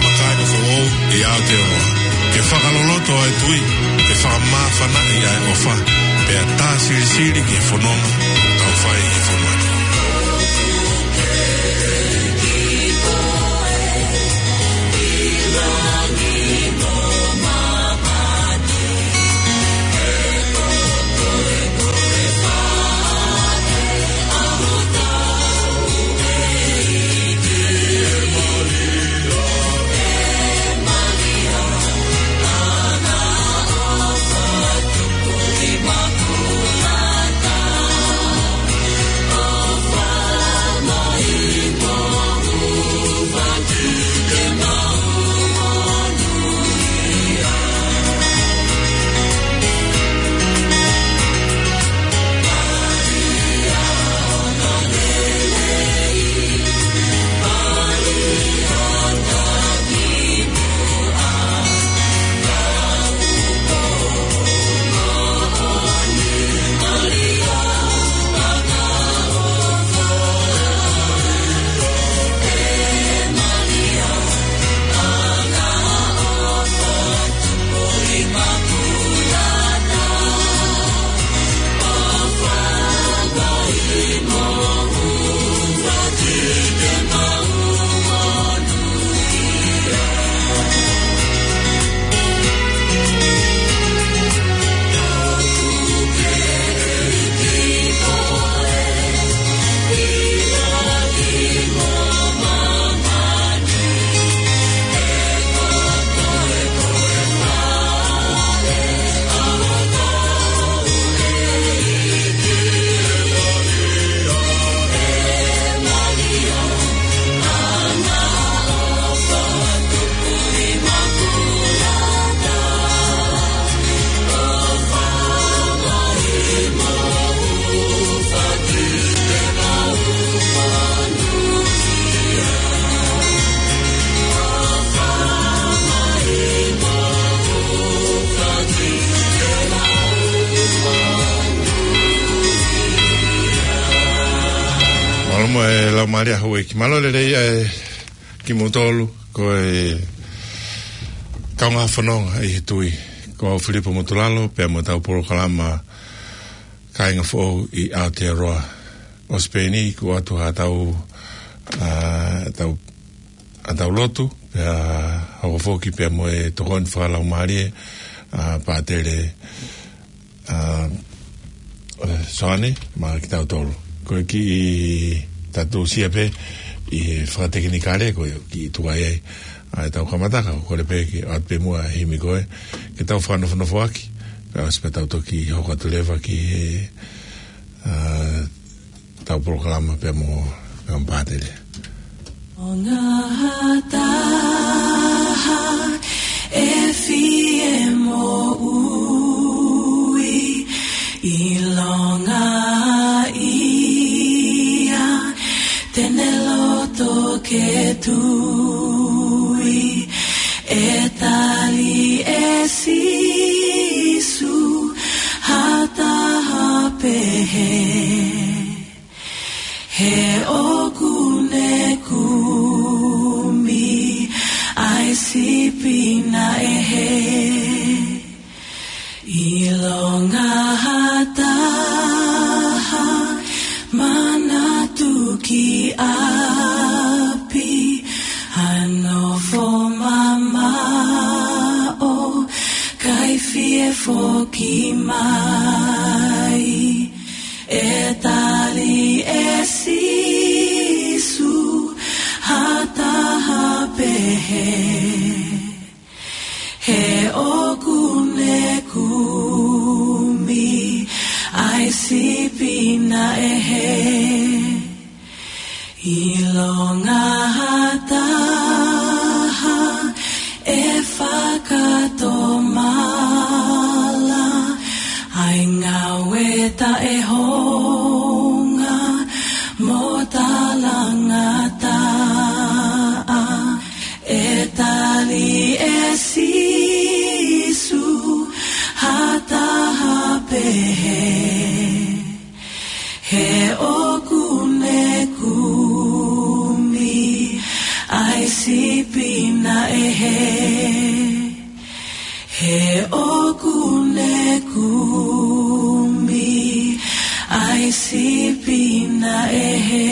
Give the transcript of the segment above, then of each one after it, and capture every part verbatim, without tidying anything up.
Kakai foʻou ʻi Aotearoa, ke fakaloloto ʻa e tui, ke fakamāfanaʻi ʻa e ʻofa, pea tā silisili ki he fononga ʻoku tau fai ʻi he fonua ni. Mālō mo e Laumālie Houʻeiki. Mālō lelei ʻa e kimoutolu, ko e kaungā fononga ʻi he tui. Ko au Filipo Motulalo, pea mo ʻetau polokalama Kāinga Foʻou ʻi Aotearoa. ʻOsi pē eni, kuo ʻoatu haʻatau, ʻa, tau, ʻetau lotu, pea hoko foki pea mo e tokoni fakalaumālie, ʻa, Pātele, ʻa, ʻe, Soane, maʻa kitautolu. Ko e kiʻi tatusia pē ʻi he fakatekinikale, ko e kiʻi tuai ai ʻa ʻetau kamata, ka ʻoku ou kole pē ke ʻoatu pē muʻa e himi ko ē, ke tau fakanofonofoʻaki, kae ʻosi pea tau toki hoko atu leva ki he, ʻa, ʻetau polokalama pea mo, pea mo Pātele. ʻO ngā hataha e fie moʻui, ʻilonga ia te ne loto ke tui, ʻe tali ʻe Sīsū ha taha pehē. He ʻoku ne kumi ʻa e sipi naʻe hē. ʻIlonga ha taha manatu ki ʻapi, ha nofo mamaʻo, kae fie foki mai. ʻE tali ʻe Sīsū ha taha pehē. He ʻoku ne kumi ʻa e sipi naʻe hē. ʻIlonga ha taha ʻe fakatomala ʻa e ngāue taʻehounga mo talangataʻa, ʻe tali ʻe Sīsū ha taha pehē. He ʻoku ne kumi ʻa e sipi naʻe He ʻoku ne kumi ʻa e sipi naʻe hē.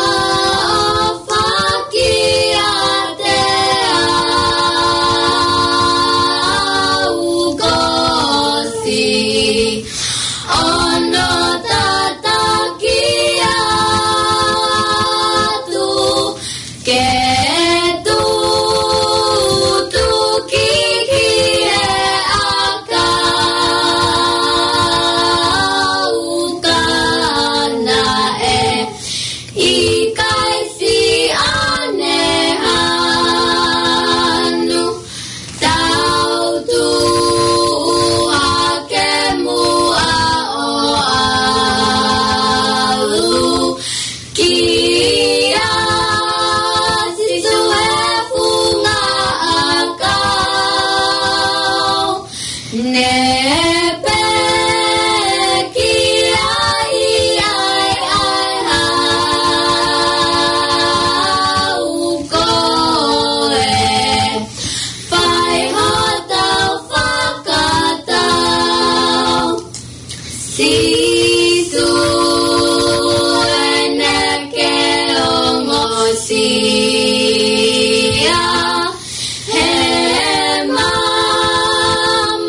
Fakaʻofa kiate au. Ne pekia ai ai ai au koe, fai hotau fakatau. Sīsū ʻene ke ongosia, he mamafa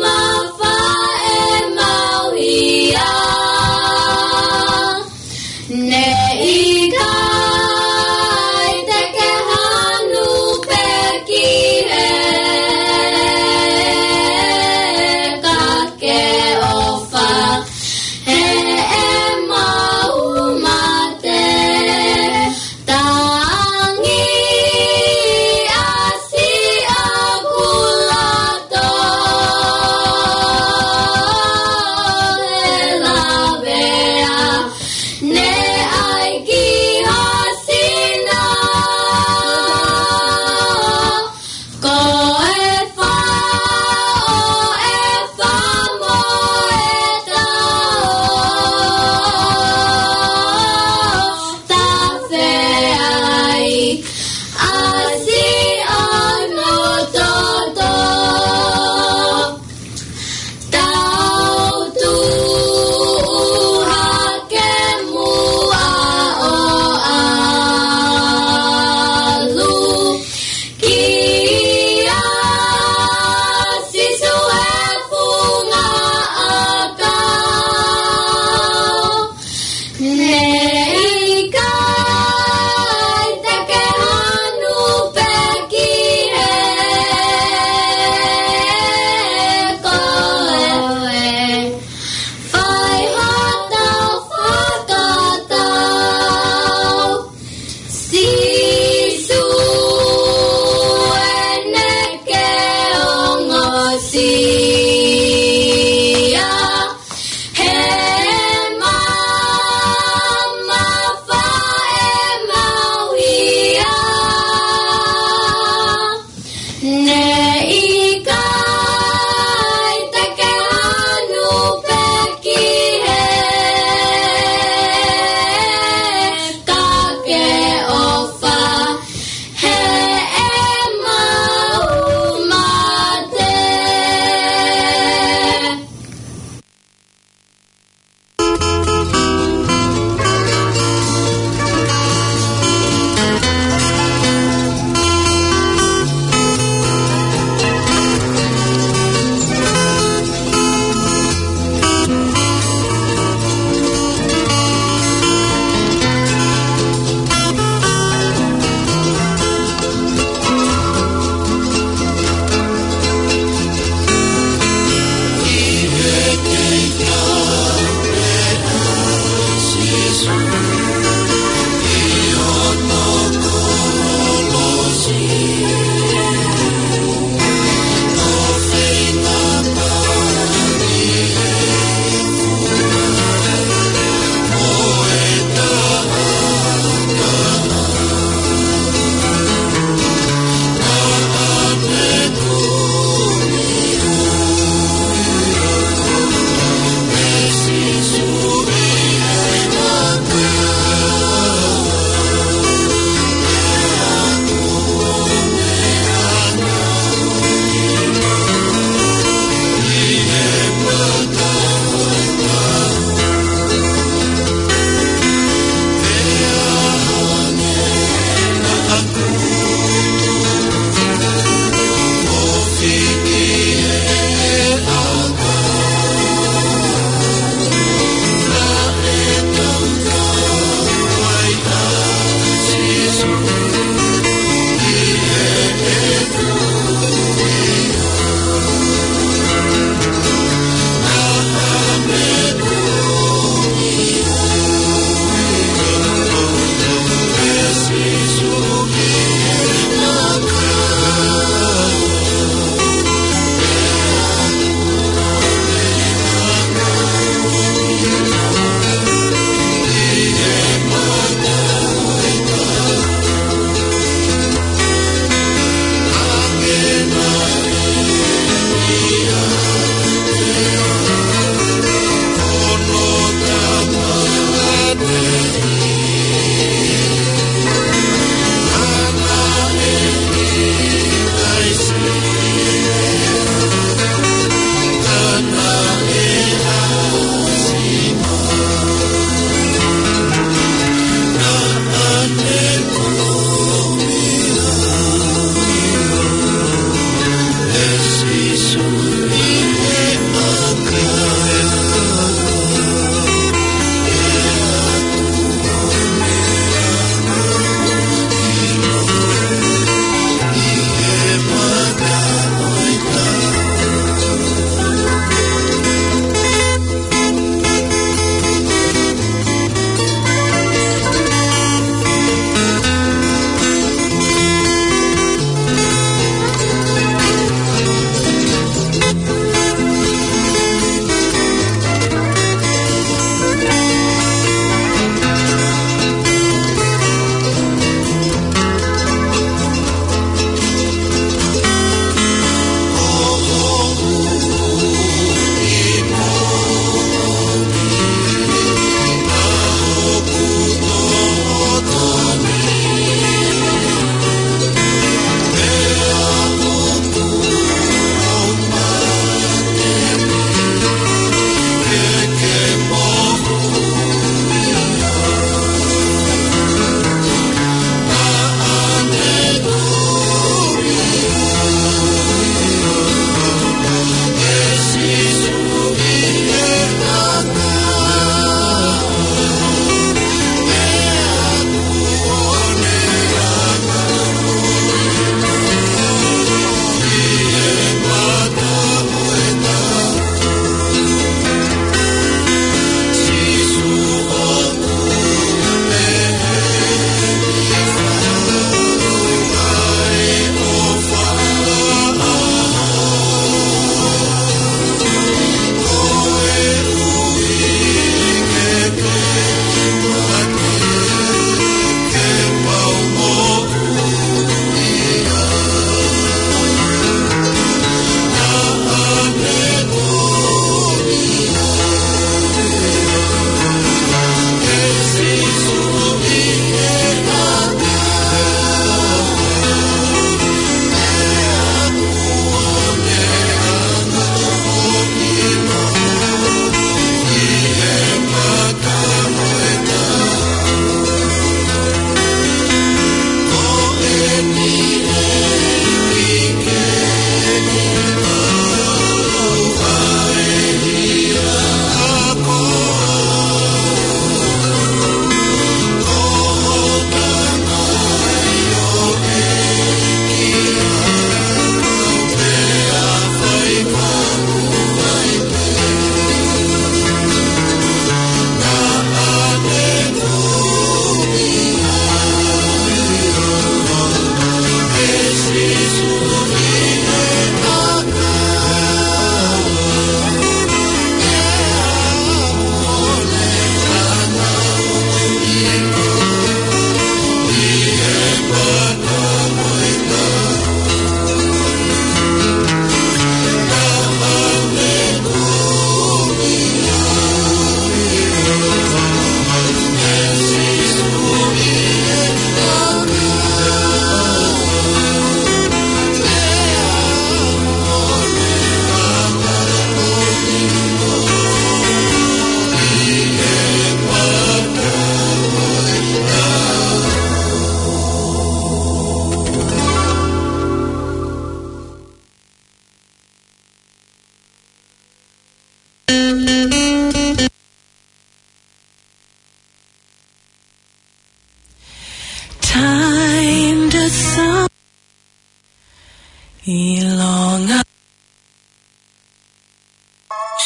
ʻIlonga.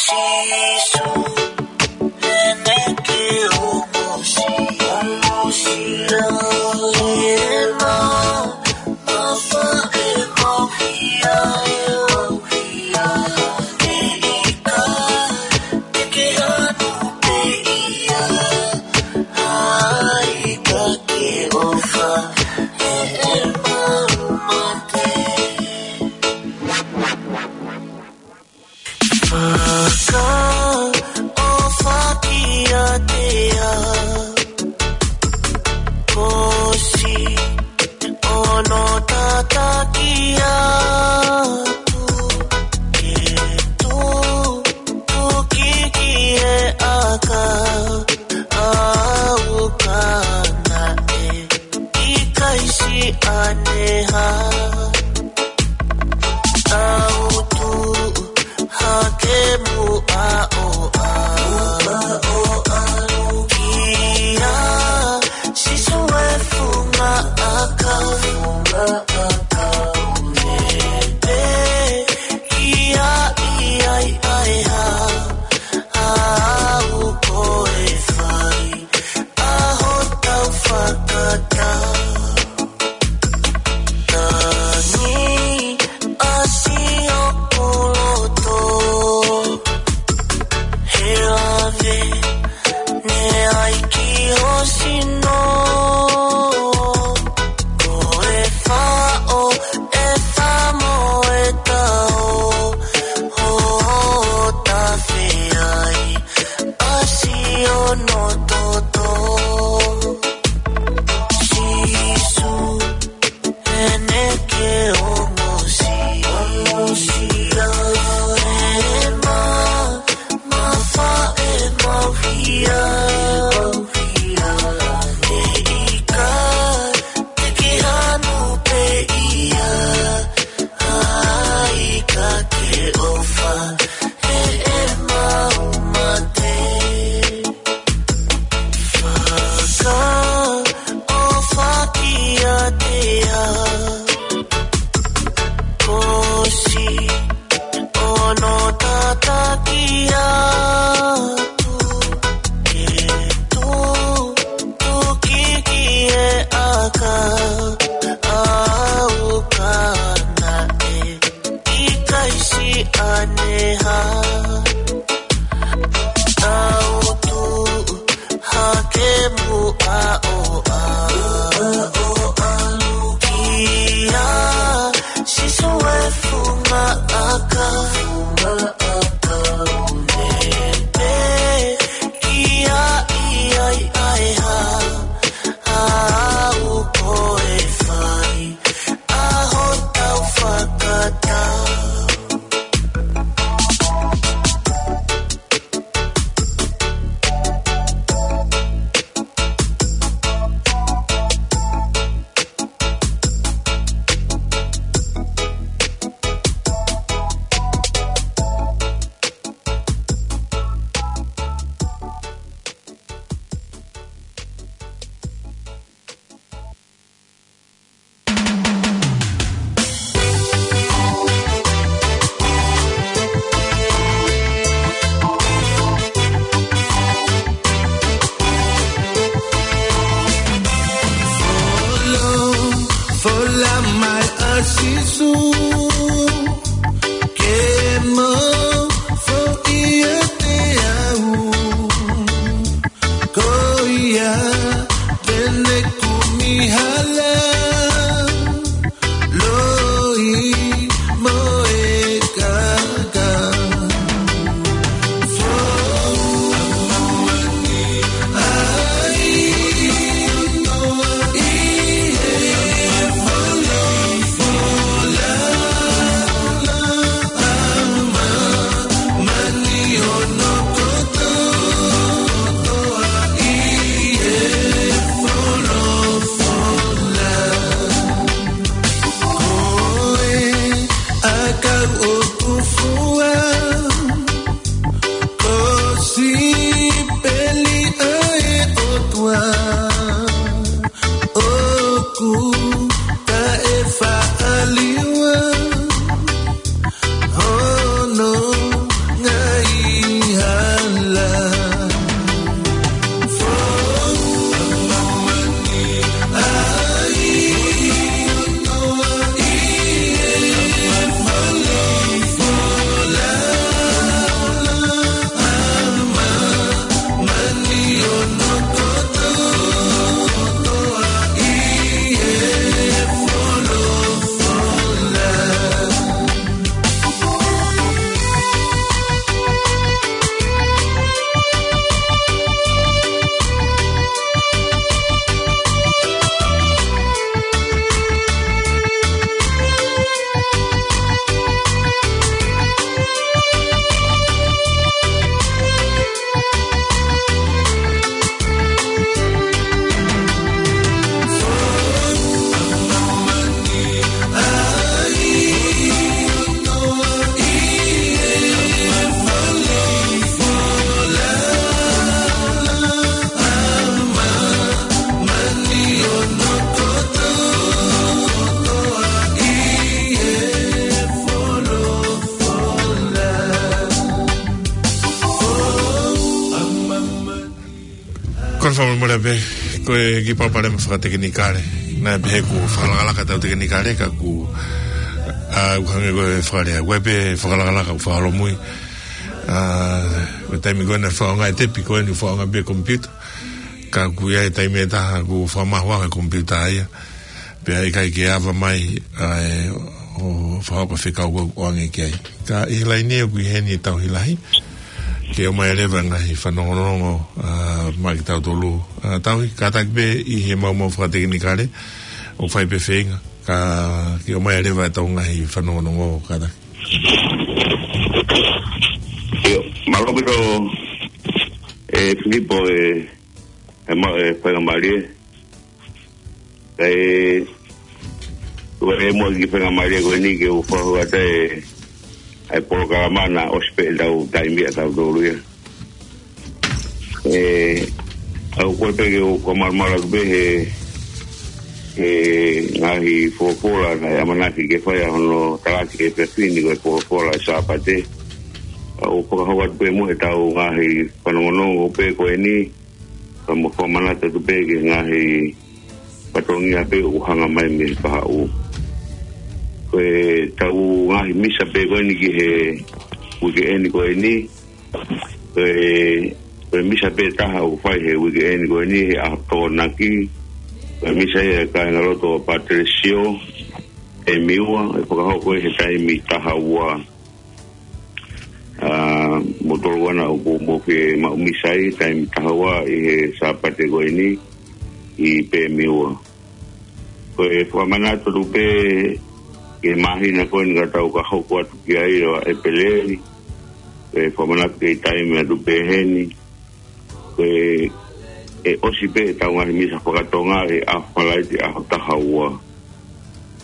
Sīsū, ʻene ke ʻosi, ʻosi ʻa e mā, mafa e mau hia, e mau hia, e ika, te ke anu pē ia, ʻa e ika ke ʻofa, he ʻe mau mate. Fakaʻofa kiate au, ko siʻono tataki atu, ke tutuki ki he ʻakau, ʻauka naʻe ʻikai siʻi ʻaneha. Tau tuʻu hake muʻa ʻo ʻalu. Muʻa ʻo ʻalu. Kia Sīsū e funga ʻakau. Funga ʻakau. Nepe kia ia ʻi ai ha ʻaho ko e fai ʻa hotau fakatau. Tangi ʻa siʻoku loto, he lave ne ai ki ho sino. Ko e faʻo e famo e tao, ho tafe ai ʻa siʻono toto. Sīsū, ʻene ke ʻosi, ʻosi ʻa e mā, mafa e mau hia, mau hia, e ika, te ke anu pē ia, ʻa e ika ke ʻofa, he ʻe mau mate. Fakaʻofa kiate au, ko siʻono tataki atu, ke tutuki ki he ʻakau, ʻauka naʻe ʻikai siʻi ʻaneha. Tau tuʻu hake muʻa ʻo ʻalu. Muʻa ʻo ʻalu. Kia Sīsū e funga ʻakau. Funga ʻakau. Nepe kia ia ʻi ai ha ʻaho ko e fai ʻa hotau fakatau. Ko e fakamolemole pē, ko e kiʻi palopalema fakatekinikale. Naʻe pehē kuo fakalakalaka ʻetau tekinikale, ka kuo, ʻa, ʻoku hangē ko e fakalea. Ko e pē fakalakalaka ʻoku fakaholomui. ʻA, ko e taimi ko ē naʻe fakaʻaongaʻi e tepi, ko eni fakaʻaongaʻi pē komipiuta. Ka kuo ʻi ai e taimi ʻe taha kuo fakamahuʻanga e komipiuta ia. Pea ʻikai ke ava mai, ʻa, ʻo fakahoko e fekau ʻoku ʻoange ki ai. Ka ʻi he laine ʻoku ʻi heni e Tauhi Lahi. Ke ʻomai leva e ngaahi fanongonongo, ʻa, maʻa kitautolu. ʻA, Tauhi, kātaki pē ʻi he maumau fakatekinikale, ʻoku fai pē feinga. Ka ke ʻomai leva ʻetau ngaahi fanongonongo, kātaki. ʻIo, mālō ʻaupito, ʻe Filipo, ʻe, ʻe ma-, ʻe faingamālie. ʻE, ʻoku ou ʻi ai mo e kiʻi faingamālie ko eni ke u fakahoko atu e, ʻa e polokalama naʻe ʻosi pē ʻetau taimi ʻatautolu ia. ʻE, ʻoku ou kole pē ke u fakamalumalu atu pē he, he ngaahi folofola naʻe ʻamanaki ke fai ʻa hono talaki he efiafi ni ko e folofola ʻa e Sāpate. ʻOku ou fakahoko atu pē mo ʻetau ngaahi fanongonongo pē ko eni, ka mo fakamanatu atu pē ki he ngaahi fatongia pē ʻoku hanga mai mei he kahaʻu. Ko ʻetau ngaahi misa pē ko eni ki he uike eni ko eni. Ko e, ko e misa pē taha ʻoku fai he uike eni ko eni he ʻaho Tokonaki. Ko e misa ia ʻa e kāingalotu ʻo Pateresio, ʻe Miua, ʻe fakahoko ʻi he taimi taha ua. ʻA, mo tolu ana ʻoku mou fie maʻu misa ʻi he taimi taha ua ʻi he Sāpate ko eni ʻi Pēmiua. Ko e fakamanatu atu pē ki he māhina ko eni ka tau ka hoko atu ki ai ʻo ʻEpeleli. Ko e fakamanatu ki he taimi atu pē heni. Ko e, ʻe ʻosi pē ʻetau ngaahi misa fakatonga ʻi he ʻaho Falaite ʻaho taha ua.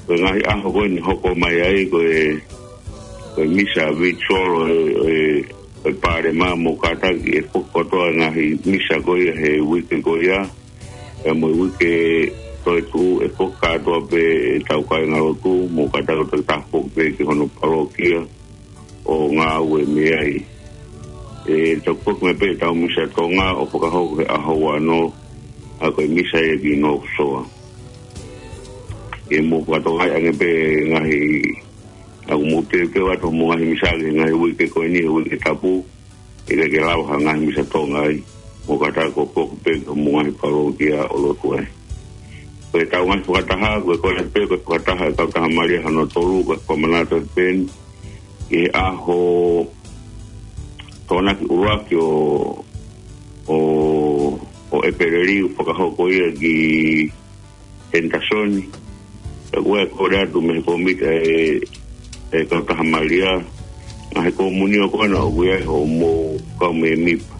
Ko e ngaahi ʻaho ko eni hoko mai ai ko e, ko e misa virtual ʻo e, ʻo e, ʻo e Palema mo kātaki ʻe foki kotoa e ngaahi misa ko ia he uike ko ia. ʻE mo e uike toetuʻu ʻe foki kātoa pē ʻetau kāingalotu mo kātaki ʻo tafoki pē ki hono palokia ʻo ngāue mei ai. ʻE toki foki mai pē ʻetau misa Tonga ʻo fakahoko he ʻaho ua noa, ʻa ko e misa ia ki North Shore. ʻE mou fakatokangaʻi ange pē ngaahi, ʻa ʻoku mou teuteu atu mo e ngaahi misa ki he ngaahi uike ko eni, he uike tapu, ʻe ʻikai ke lava ha ngaahi misa Tonga ai, mo kātaki ʻo foki pē ki homou ngaahi palokia ʻo lotu ai. Ko ʻetau ngaahi fakataha, ko e kole pē, ko e fakataha ʻa e Kautaha Malia hono tolu, ko e fakamanatu pē eni, ʻi he ʻaho Tokonaki ʻuluaki ʻo, ʻo, ʻo ʻEpeleli ʻoku fakahoko ia ki Henderson. Pea ʻoku ou kole atu mei he kōmiti ʻa e, ʻa e Kautaha Malia, ngaahi komunio ko ena ʻoku ʻi ai hoʻomou kau mēmipa.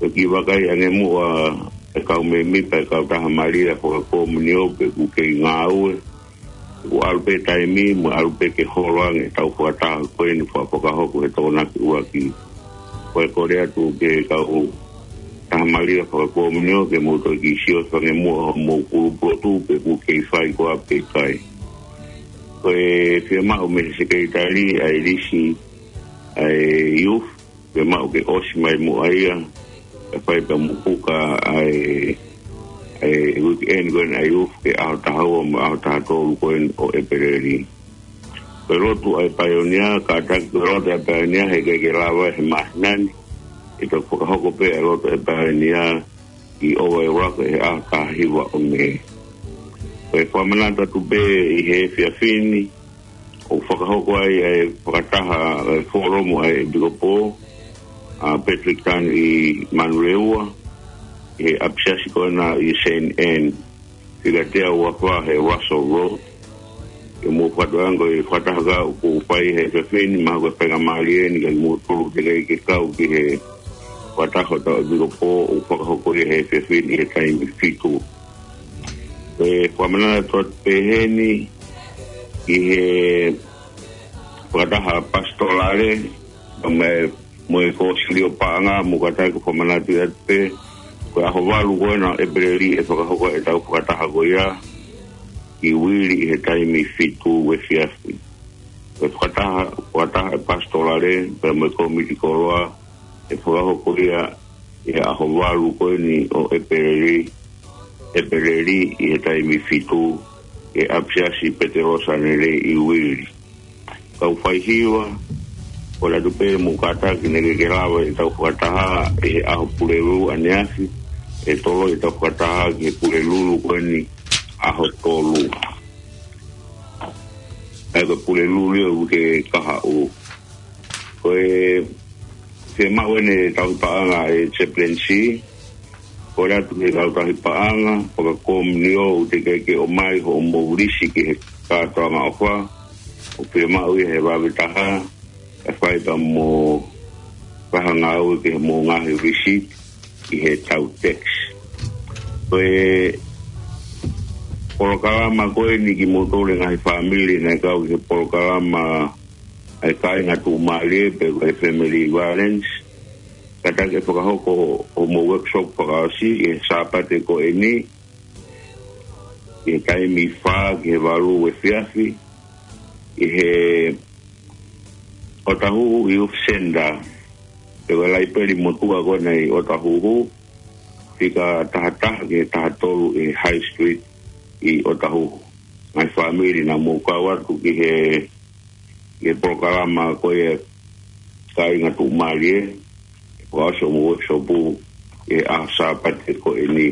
Pea kiʻi vakai ange muʻa ʻa e kau mēmipa ʻa e Kautaha Malia fakakomunio pe ʻoku kei ngāue. ʻOku ʻalu pē taimi, mo ʻalu pē ke holo ange ʻetau fakataha ko eni ʻoku fakahoko he Tokonaki ʻuluaki. Ko e kole atu ki he Kautaha Malia fakakomunio ke mou toki sio ange muʻa hoʻomou kulupu lotu pe ʻoku kei fai koā pe ʻikai. Ko e fiemaʻu mei he sekelitali ʻa e lisi ʻa e youth, fiemaʻu ke ʻosi mai muʻa ia, ʻe fai pē mo puka ʻa e, ʻa e weekend ko eni ʻa e youth ki he ʻaho taha ua mo e ʻaho taha tolu ko eni ʻo ʻEpeleli. Ko e lotu ʻa e paionia, kātaki ko e lotu ʻa e paionia, heʻikai ke lava he māhina ni, ʻe toki fakahoko pē ʻa e lotu ʻa e paionia ʻi ʻOvaeulaka he ʻaho taha hiva ʻo Mē. Ko e fakamanatu atu pē ʻi he efiafi ni, ʻoku fakahoko ai ʻa e fakataha ʻa e folomu ʻa e ʻEpikopo, ʻa Patrick Tan ʻi Manurewa, ʻi he ʻapisiasi ko ena ʻi Saint Anne, fika tea ua fā he Russell Road. Ke mou fakatokangaʻi ange ko e fakataha ka ʻoku fai he efiafi ni, mahalo ko e faingamālie eni kiate kimoutolu teʻeki ke kau ki he fakataha ʻa hotau ʻEpikopo ʻoku fakahoko ia he efiafi ni he taimi fitu. ʻE fakamanatu atu pē heni ʻi he fakataha pasitolale, mo e, mo e Kōsilio Paʻanga, mo kātaki ʻo fakamanatu atu pē, ko e ʻaho valu ko ena ʻo ʻEpeleli ʻe fakahoko ʻetau fakataha ko ia, ʻi Uili ʻi he taimi fitu efiafi. Ko e fakataha, fakataha ʻa e pasitolale, pea mo e kōmiti koloa, ʻe fakahoko ia ʻi he ʻaho valu ko eni ʻo ʻEpeleli, ʻEpeleli ʻi he taimi fitu, ʻi he ʻapisiasi Petelosa Nelei ʻi Uili. Kau faihiva, ʻoku ou ʻoatu pē mo kātaki naʻa ke lava ʻetau fakataha ʻi he ʻaho Pulelulu ʻaneafi, ʻe toloi ʻetau fakataha ki he Pulelulu ko eni ʻaho tolu. ʻA ia ko e Pulelulu ia ʻoku ke kahaʻu. Ko e fiemaʻu eni e tauhi paʻanga e chaplaincy, ʻoku ou ʻoatu ki he kau tauhi paʻanga, fakakomiunio ʻoku teʻeki ke ʻomai hoʻomou lisi ki he kātoanga ʻofa, ʻoku fiemaʻu ia he vave taha, ʻe fai pea mo e fakangāue ki he mo ngaahi lisi ʻi he tau tax. Ko e polokalama ko eni kimoutolu e ngaahi fāmili naʻe kau ki he polokalama ʻa e kāinga tuʻumālie pe ko e family violence. Kātaki ʻe fakahoko hoʻomou workshop fakaʻosi ʻi he Sāpate ko eni, ʻi he taimi fā ki he valu efiafi, ʻi he ʻOtahuhu Youth Centre, pe ko e laipeli motuʻa ko ena ʻi ʻOtahuhu, fika taha taha ki he taha tolu ʻi High Street ʻi ʻOtahuhu. Ngaahi fāmili naʻa mou kau atu ki he, ki he polokalama ko ia kāinga tuʻumālie, ʻe fakaʻosi hoʻomou workshop ʻi he ʻaho Sāpate ko eni.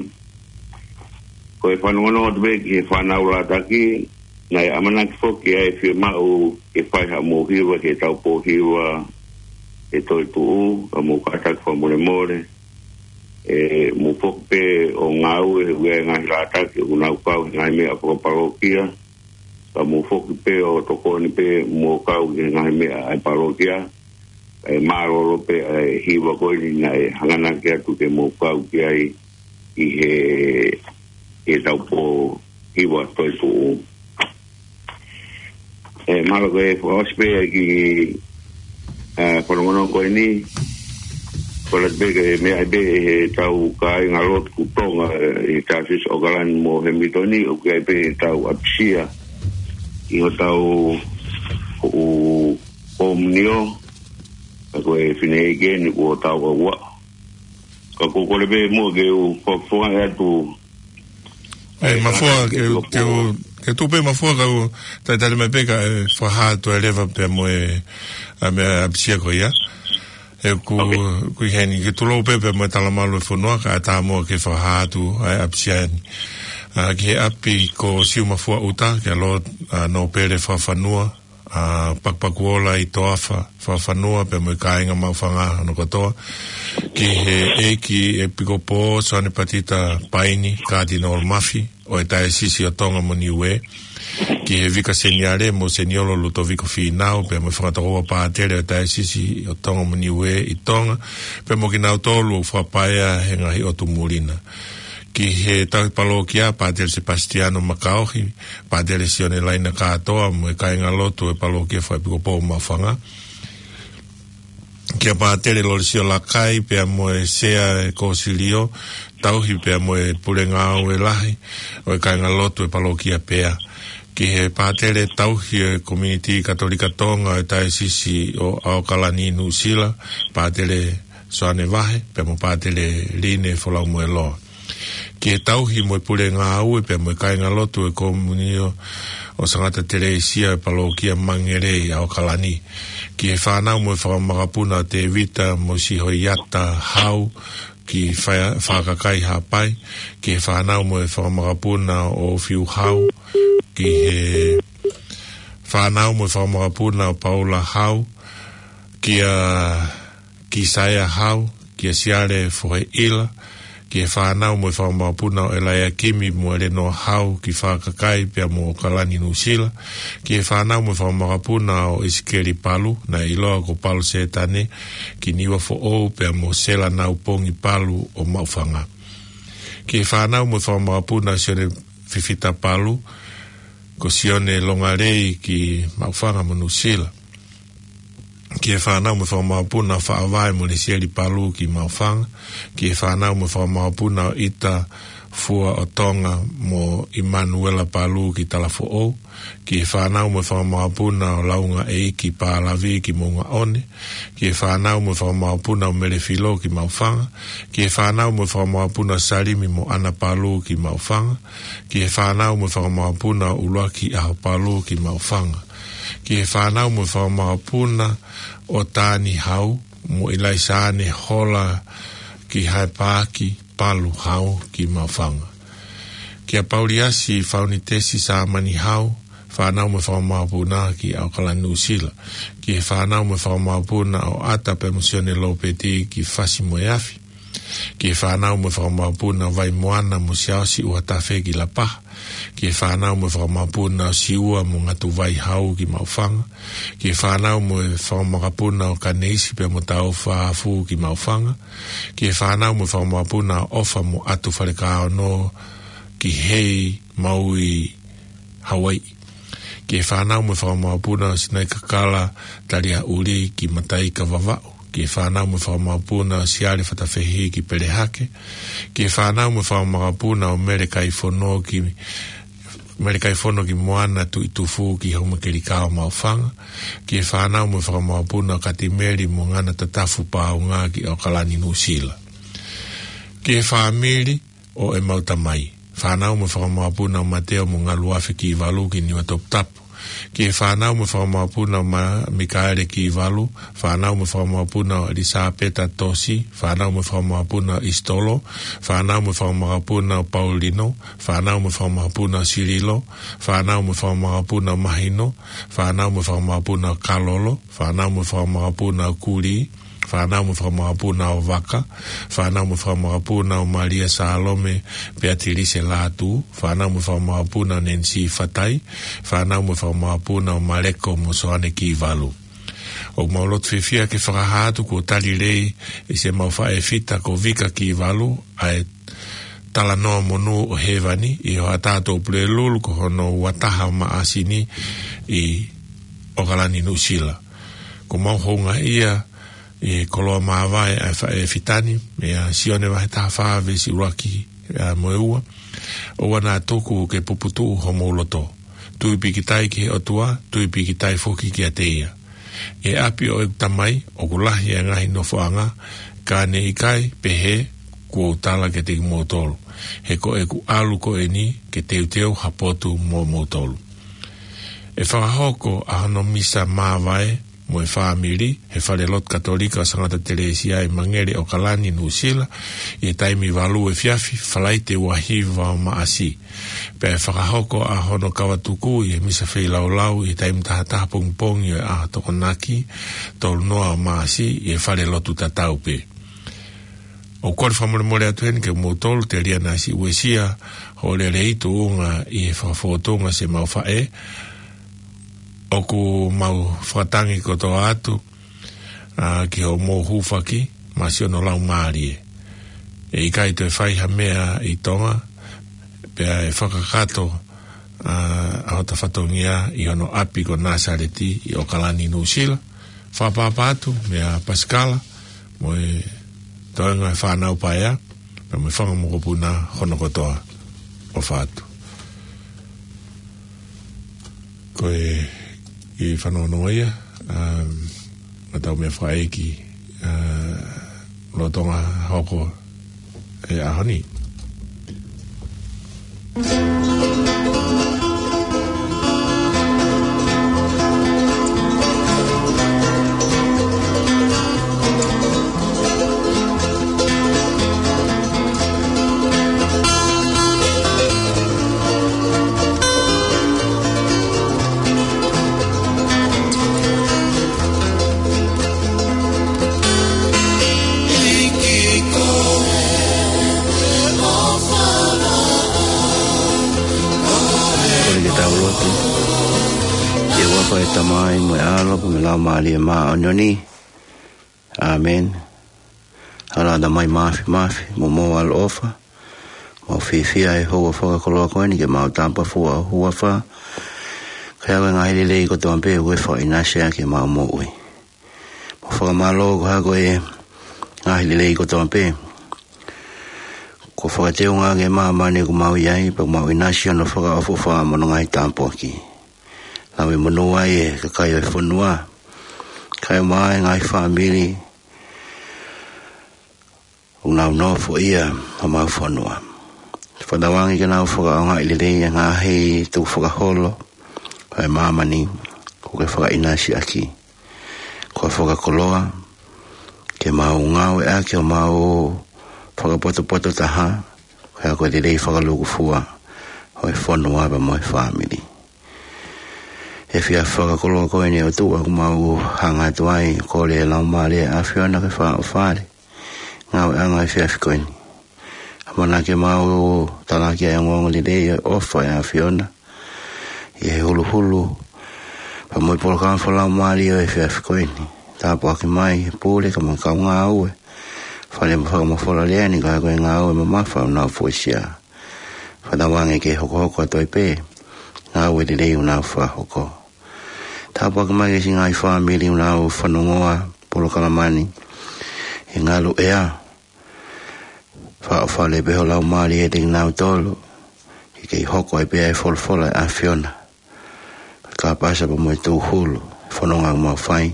Ko e fanongonongo atu pē ki he fānau lātaki, naʻe ʻamanaki foki ʻa e fiemaʻu ke fai haʻamou hiva ki he taupō hiva ʻe toe tuʻu, ka mou kātaki fakamolemole, ʻe mou foki pē ʻo ngāue he ʻoku ʻi ai e ngaahi lātaki ʻoku nau kau he ngaahi meʻa fakapalōkia, ka mou foki pē ʻo tokoni pē mo kau ki he ngaahi meʻa ʻa e palōkia, ʻe mālōlō pē ʻa e hiva ko eni naʻe hanganaki atu ke mou kau ki ai ʻi he, ʻi he taupō hiva toe tuʻu. ʻE, mālō ko e fakaʻosi pē ki he, ʻa, fanongonongo ko eni, ko e lata pē ke meʻa ai pē ʻe he tau kāinga lotu Tonga, ʻe, ʻi he Taisesi ʻAokalani mo Hemilitoni, ʻoku ʻi ai pē ʻetau ʻapisia ʻi hotau ʻū komiunio, ʻa ko e fineʻeiki eni kuo tau ʻauaʻa. Ka ko e kole pē muʻa ke u fakafofongaʻi atu. ʻE, Mafua, ke, ke, ke tuʻu pē Mafua ka u talitali mai pē kae fakahā atu e leva pea mo e, ʻa, meʻa ʻapisia ko ia. ʻE, ku, Ok. Ku ʻi heni ke tulou pē pea mo e talamalu e fonua kae ʻatā muʻa ke fakahā atu ʻa e ʻapisia ni. ʻA, ki he ʻapi ko Siumafua ʻUta, kia Lord, ʻa, Nōpele Fakafanua, ʻa, Pakupakuola ʻi Toafa Fakafanua, pea mo e kāinga Maʻufanga hono kotoa. Ki he ʻEiki ʻEpikopō Soane Patita Paini Katinolo Mafi, ʻo e Taisesi ʻo Tonga mo Niuē. Ki he Vika Seniale mo Seniolo Lutoviko Fīnau, pea mo e fakatokoua pātele ʻo e Taisesi ʻo Tonga mo Niuē ʻi Tonga, pea mo kinautolu ʻoku fakapaea he ngaahi ʻotu muli na. Ki he tauhi palōkia, Pātele Sepasitiano Makaohi, Pātele Sione Laina Kātoa, mo e kāinga lotu e palōkia fakaʻepikopō Maʻufanga. Kia Pātele Lolesio Lakai, pea mo e Sea e Kōsilio, tauhi pea mo e pule ngāue lahi ʻo e kāinga lotu e palōkia pea. Ki he pātele tauhi e Komiunitī Katolika Tonga ʻo e Taisesi ʻo ʻAokalani Nuʻusila, Pātele Soane Vahe, pea mo Pātele Line Folaumueloa. Ki he tauhi mo e pule ngāue pea mo e kāinga lotu e Komiunio ʻo Sangata Telesia e palōkia Mangelei ʻAokalani. Ki he fānau mo e fakamakapuna ʻo Tēvita mo Sihoiata Hau, ki Fa-, Fakakai Haʻapai. Ki he fānau mo e fakamakapuna ʻo Fiu Hau. Ki he fānau mo e fakamakapuna ʻo Paula Hau. Kia Kisaea Hau, kia Siale Foheʻila, ki he fānau mo e fakamakapuna ʻo ʻElaiakimi mo ʻElenoa Hau ki Fakakai pea mo ʻAokalani Nuʻusila, ki he fānau mo e fakamakapuna ʻo ʻIsikeli Palu, naʻe ʻiloa ko Palu Sētane, ki Niuafoʻou pea mo Sela Naupongi Palu ʻo Maʻufanga. Ki he fānau mo e fakamakapuna ʻo Sione Fifita Palu, ko Sione Longalei ki Maʻufanga mo Nuʻusila. Ki he fānau mo e fakamakapuna ʻo Faʻavae mo Lesieli Palu ki Maʻufanga. Ki he fānau mo e fakamakapuna ʻo ʻIta Fua ʻo Tonga mo ʻImanuela Palu ki Talafoʻou, ki he fānau mo e fanga mokopuna ʻo Laungaʻeiki Palavi ki Moʻungaʻone, ki he fānau mo e fanga mokopuna ʻo Melefilo ki Maʻufanga, ki he fānau mo e fanga mokopuna ʻo Salimi mo ʻAna Palu ki Maʻufanga, ki he fānau mo e fanga mokopuna ʻo ʻUluaki ʻAho Palu ki Maʻufanga, ki he fānau mo e fanga mokopuna ʻo Tani Hau mo ʻIlaisane Hola ki Haepaaki Palu Hau ki Maʻufanga. Kia Pauliasi Faunitesi Sāmani Hau, fānau mo e fanga mokopuna ki ʻAokalani Nuʻusila. Ki he fānau mo e fanga mokopuna ʻo ʻAta pea mo Sione Lopeti ki Fasi mo e Afi. Ki he fānau mo e fanga mokopuna ʻo Vaimoana mo Siaosi ʻUhatafe ki Lapaha. Ki he fānau mo e fanga mokopuna ʻo Siua mo Ngatuvai Hau ki Maʻufanga. Ki he fānau mo e fanga mokopuna ʻo Kaneisi pea mo Taufa Afu ki Maʻufanga. Ki he fānau mo e fanga mokopuna ʻo ʻOfa mo ʻAtu Falekaono ki Hei Maui Hawaiʻi. Ki he fānau mo e fanga mokopuna ʻo Sinai Kakala Talia ʻUli ki Mataika Vavaʻu. Ki he fānau mo e fanga mokopuna ʻo Siale Fatafehi ki Pelehake. Ki he fānau mo e fanga mokopuna ʻo Mele Kaifono ki, Mele Kaifono ki Moana Tuʻitufu ki Houmakelikao Maʻufanga. Ki he fānau mo e fanga mokopuna ʻo Katimeli mo Ngana Tatafu Paunga ki ʻAokalani Nuʻusila. Ki he fāmili ʻo ʻemau tamai. Fānau mo e fanga mokopuna ʻo Mateo mo Ngaluafe Kivalu ki Niuatoputapu. Ki he fānau mo e fanga mokopuna ʻo Ma-, Mikaele Kivalu, fānau mo e fanga mokopuna ʻo ʻElisapeta Tosi, fānau mo e fanga mokopuna ʻo ʻIsitolo, fānau mo e fanga mokopuna ʻo Paulino, fānau mo e fanga mokopuna ʻo Sililo, fānau mo e fanga mokopuna ʻo Mahino, fānau mo e fanga mokopuna ʻo Kalolo, fānau mo e fanga mokopuna ʻo Kuli, fānau mo e fanga mokopuna ʻo Vaka, fānau mo e fanga mokopuna ʻo Malia Salome, Peatilise Latu, fānau mo e fanga mokopuna ʻo Nenisi Fatai, fānau mo e fanga mokopuna ʻo Maleko mo Soane Kivalu. ʻOku mau lotu fiefia ke fakahā atu kuo tali lelei ʻe siʻemau faʻē fita ko Vika Kivalu ʻa e talanoa monū ʻo Hēvani ʻi he hoʻatā ʻo Pulelulu ko hono uataha ʻo Maʻasi ni ʻi ʻAokalani Nuʻusila. ʻOku mau houngaʻia ʻi he koloa māvae ʻa e faʻē fita ni, meia Sione vahe taha fā veesi ʻuluaki, ʻa, mo e ua. ʻOua naʻa tuku ke puputuʻu homou loto. Tui pīkitai ki he ʻOtua, tui pīkitai foki kiate ia. ʻI he ʻapi ʻo ʻeku Tamai ʻoku lahi ʻa e ngaahi nofoʻanga, ka ne ʻikai pehē kuo u tala kiate kimoutolu. He ko ʻeku ʻalu ko eni ke teuteu ha potu moʻomoutolu. ʻE fakahoko ʻa hono misa māvae mo e fāmili he fale lotu Katolika ʻo Sangata Telesia ʻi Mangere, ʻAokalani, Nuʻusila, ʻi he taimi valu efiafi, Falaite ua hiva ʻo Maʻasi. Pea ʻe fakahoko ʻa hono kavatuku ʻi he misa feilaulau ʻi he taimi taha taha pongipongi ʻo e ʻaho Tokonaki, tolu noa ʻo Maʻasi, ʻi he fale lotu tatau pē. ʻOku kole fakamolemole atu heni kiate kimoutolu, telia naʻa siʻi uesia hoʻo lelei tuʻunga ʻi he fakafōtunga siʻemau faʻē. ʻOku mau fakatangi kotoa atu, ʻa, ki hoʻomou hūfaki maʻa siʻono laumālie. ʻE ʻikai toe fai ha meʻa ʻi Tonga, pea ʻe fakakakato, ʻa, ʻa hota fatongia ʻi hono ʻapi ko Nāsaleti ʻi ʻAokalani, Nuʻusila. Fakapāpā atu meia Pasikala mo e toenga e fānau paea, pea mo e fanga mokopuna hono kotoa. ʻOfa atu. Ko e kiʻi fanongo ia, um, ʻa ʻetau meʻa fakaʻeiki, ʻa, lolotonga hoko e ʻaho ni. Kole ke tau lotu. ʻI he huafa ʻo e Tamai mo e ʻAlo pea mo e Laumālie Māʻoniʻoni. ʻĀmeni. ʻAlā, Tamai Māfimafi, mo mou ʻaloʻofa, mau fiefia he houa fakakoloa ko eni ke mau tapafua ho huafa, kae ʻave e ngaahi lelei kotoa pē ʻoku ke fakaʻinasi ʻaki ʻemau moʻui. Mau fakamālō koeʻuhi ko e ngaahi lelei kotoa pē ʻOku fakateunga ange ʻa māmani ʻoku mau ʻi ai, pea mau ʻinasi ʻi hono fakaʻofoʻofa mo hono ngaahi tāpuaki. Lau e monū ai ʻa e kakai ʻo e fonua, kae ʻumaʻā ʻa e ngaahi fāmili ʻoku nau nofoʻia ʻa homau fonua. Fakatauange ke nau fakaʻaongaʻi lelei ʻa e ngaahi tukufakaholo ʻa e māmani kuo ke fakaʻinasi ʻaki. Ko e fakakoloa ke mau ngāueʻaki homau fakapotopoto taha, ko e ako lelei fakalūkufua ʻo e fonua pea mo e fāmili. ʻI he efiafi fakakoloa ko eni ʻOtua, ʻoku mau hanga atu ai ʻo kole ʻa e Laumālie ʻo e ʻAfiona ke fakaʻofoʻofa ʻa e ngāueʻanga ʻo e efiafi ko eni. ʻAmanaki ke mau talaki ʻa e ongoongolelei ʻo e ʻofa ʻa e ʻAfiona ʻi he huluhulu pea mo e polokalama fakalaumālie ʻo e efiafi ko eni. Tāpuakiʻi mai e pule kae ʻumaʻā e kau ngāue, fale mo e fakamafola lea ni, ka ko e ngāue mamafa ʻoku nau fuesia. Fakatauange ke hokohoko atu ai pē ʻa e ngāue lelei ʻoku nau fakahoko. Tāpuakiʻi mai e siʻi ngaahi fāmili ʻoku nau fanongoa e polokalama ni ʻi he ngaluʻea. Fakaʻofoʻofa lelei pē ho Laumālie ʻiate kinautolu, ke kei hoko ai pē ʻa e folofola ʻa e ʻAfiona, ko e kāpasa pea mo e tūhulu ʻo e fononga ʻoku mau fai,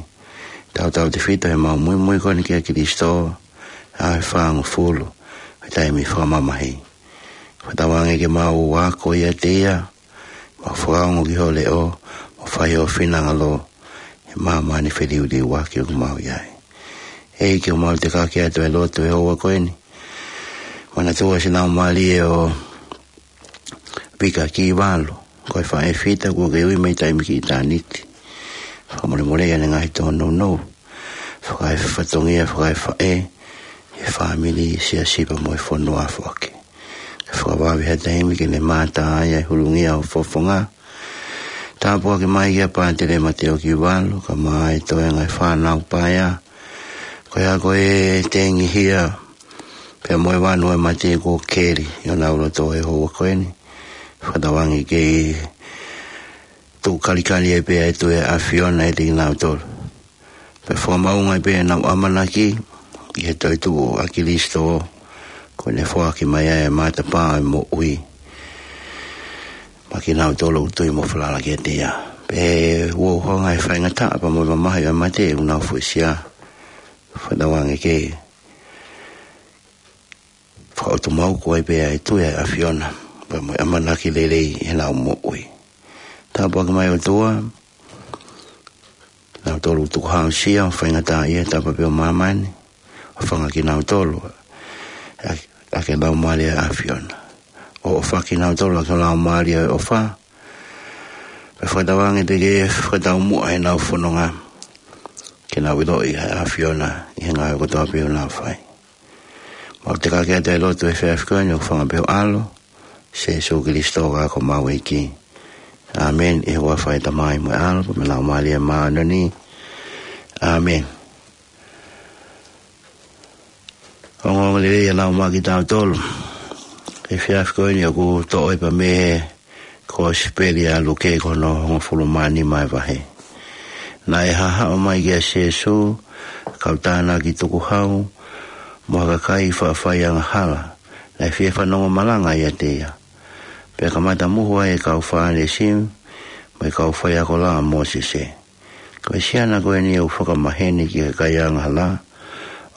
tautautefito ʻi heʻemau muimui ko eni kia Kalaisi, ʻa e fāngofulu ʻo e taimi fakamamahi. Fakatauange ke mau ako ʻiate ia, mau fakaongo ki hoʻo leʻo, mau fai ho finangalo ʻi he māmani feliuliuaki ʻoku mau ʻi ai. ʻEiki, ʻoku mau tekaki atu ʻa e lotu ʻi he houa ko eni. Manatuʻi ʻa e siʻi laumālie ʻo Pika Kivalu, ko e faʻē fita kuo ke ui mei taimi ki ʻitāniti. Fakamolemoleʻi ʻene ngaahi tōnounou, fakaefatongia, fakaefaʻē ʻi he fāmili, siasi pea mo e fonua foki. Ke fakavave ha taimi ke ne mātā ai ʻa e hulungia ʻo e fofonga. Tāpuakiʻi mai kia Pātele Mateo Kivalu, kae ʻumaʻā e toenga ʻo e fānau paea, ko ia ko e tengihia pea mo e vanu ʻo e mate kuo keli ʻi honau loto ʻi he houa ko eni. Fakatauange ke tuʻu kalikali ai pē ʻa e tui ʻa e ʻAfiona ʻiate kinautolu, pea fakamaʻunga ai pē ʻenau ʻamanaki ʻi he toetuʻu ʻa Kalaisi, ko ʻene foaki mai ʻa e matapā ʻo e moʻui maʻa kinautolu ʻoku tui mo falala kiate ia. Pea ʻoku ʻi ai ha faingataʻa pea mo e mamahi ʻo e mate ʻoku nau fuesia. Fakatauange ke fakaʻotumauku ai pē ʻa e tui ʻa e ʻAfiona pea mo e ʻamanaki lelei ʻi heʻenau moʻui. Tāpuakiʻi mai ʻOtua kinautolu ʻoku tukuhāusia ʻo faingataʻaʻia he tapa pē ʻo māmani, ʻo hūfanga kinautolu ʻaki, ʻaki e Laumālie ʻo e ʻAfiona. ʻO ʻofa kinautolu ʻaki ho Laumālie ʻo e ʻofa, pea fakatauange te ke fakataumuʻa ʻenau fononga ke nau ʻiloʻi ʻa e ʻAfiona ʻi he ngāue kotoa pē ʻoku nau fai. Mau tekaki atu ʻa e lotu ʻi he efiafi ko eni ʻo hūfanga pē ʻi ho ʻAlo, Sīsū Kalaisi ko homau ʻEiki. ʻĀmeni. ʻI he huafa ʻo e Tamai mo e ʻAlo pea mo e Laumālie Māʻoniʻoni. ʻĀmeni. Ongoongolelei ʻa e lau maʻa kitautolu ʻi he efiafi ko eni, ʻoku toʻo ia pea mei he Kosipeli ʻa Luke ko hono hongofulu mā nima ʻa e vahe. Naʻe haʻu mai kia Sīsū ha kau tānaki tukuhau mo ha kakai faʻa fai angahala, naʻe fie fanongo malanga ʻiate ia. Pea kamata muhu ai e kau Fālesi mo e kau faiako laʻā ʻa Mōsese. Ko e siana ko eni ʻoku fakamaheni ki he kakai angahala,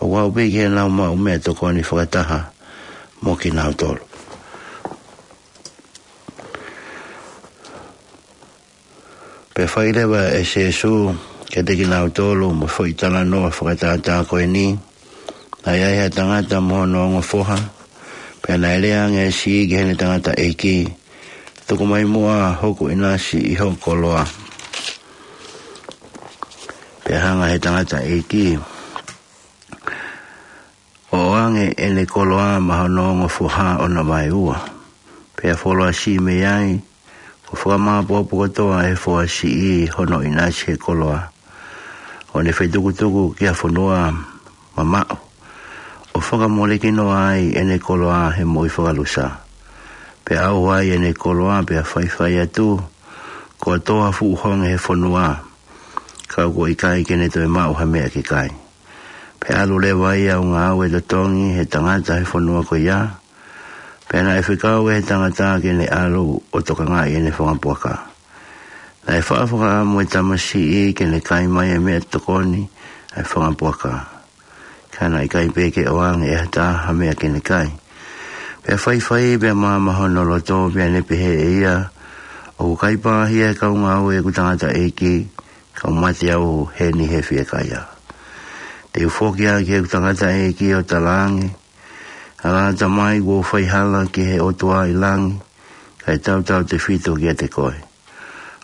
ʻoku aʻu pē ki heʻenau maʻu meʻatokoni fakataha mo kinautolu. Pea fai leva ʻe Sīsū kiate kinautolu mo e foʻi talanoa fakatātā ko eni. Naʻe ʻi ai ha tangata mo hono ongo foha, pea naʻe lea ange ʻa e siʻi ki heʻene tangataʻeiki, Tuku mai muʻa hoku ʻinasi ʻi ho koloa. Pea hanga ʻe he tangataʻeiki ʻo ʻoange ʻene koloa maʻa hono ongo foha ʻo na vaeua. Pea fuoloa siʻi mei ai, kuo fakamāopoopo kotoa ʻe he foha siʻi hono ʻinasi he koloa, ʻo ne fetukutuku ki ha fonua mamaʻo, ʻo fakamolekinoa ai ʻene koloa he moʻui fakalusa. Pea ʻauha ai ʻene koloa pea faifai atu, kuo tō ha fuʻu honge he fonua, ka kuo ʻikai ke ne toe maʻu ha meʻa ke kai. Pea ʻalu leva ia ʻo ngāue totongi he tangata he fonua ko ia, Pea naʻe fekau ʻe he tangata ke ne ʻalu ʻo tokangaʻi ʻene fanga puaka. Naʻe faʻa fakaʻamu e tamasiʻi ke ne kai mai e meʻatokoni ʻa e fanga puaka. Ka naʻe ʻikai pē ke ʻoange ʻe ha taha ha meʻa ke ne kai. Pea faifai pea maama hono loto, pea ne pehē ʻe ia, ʻOku kai pāhia ʻe he kau ngāue ʻeku tangataʻeiki, ka u mate au heni he fiekaia. Te u foki ā ki heʻeku tangataʻeiki ʻo talaange, ʻAlā, Tamai, kuo u fai hala ki he ʻOtua ʻi langi, kae tautautefito kiate koe.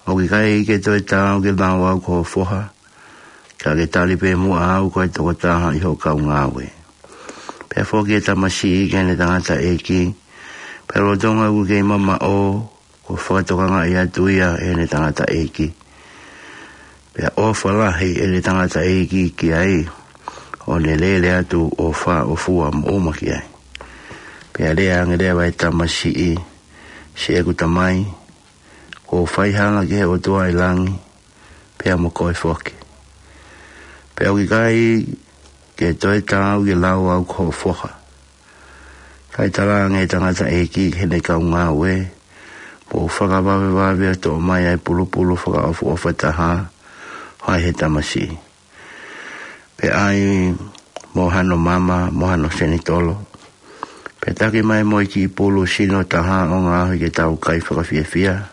ʻOku ʻikai ke toe taau ke lau au ko ho foha, ka ke tali pē muʻa au ko e tokotaha ʻi hoʻo kau ngāue. Pea foki e tamasiʻi ki heʻene tangataʻeiki, pea lolotonga ʻoku kei mamaʻo, kuo fakatokangaʻi atu ia ʻe heʻene tangataʻeiki. Pea ʻofa lahi ʻene tangataʻeiki ki ai, ʻo ne lele atu ʻo fāʻofua moʻoma ki ai. Pea lea ange leva e tamasiʻi, Siʻeku tamai, kuo u fai hala ki he ʻOtua ʻi langi, pea mo koe foki. Pea ʻoku ʻikai ke toe taau ke lau au ko ho foha. Kae talaange ʻe he tangataʻeiki ki heʻene kau ngāue, Mou fakavavevave ʻo toʻo mai ʻa e pulupulu fakaʻofoʻofa taha, ʻo ʻai ʻe he tamasiʻi. Pea ʻai mo hano mama, mo hano senitolo. Pea taki mai mo e kiʻi pulu sino taha ʻo ngaohi ke tau kai fakafiefia.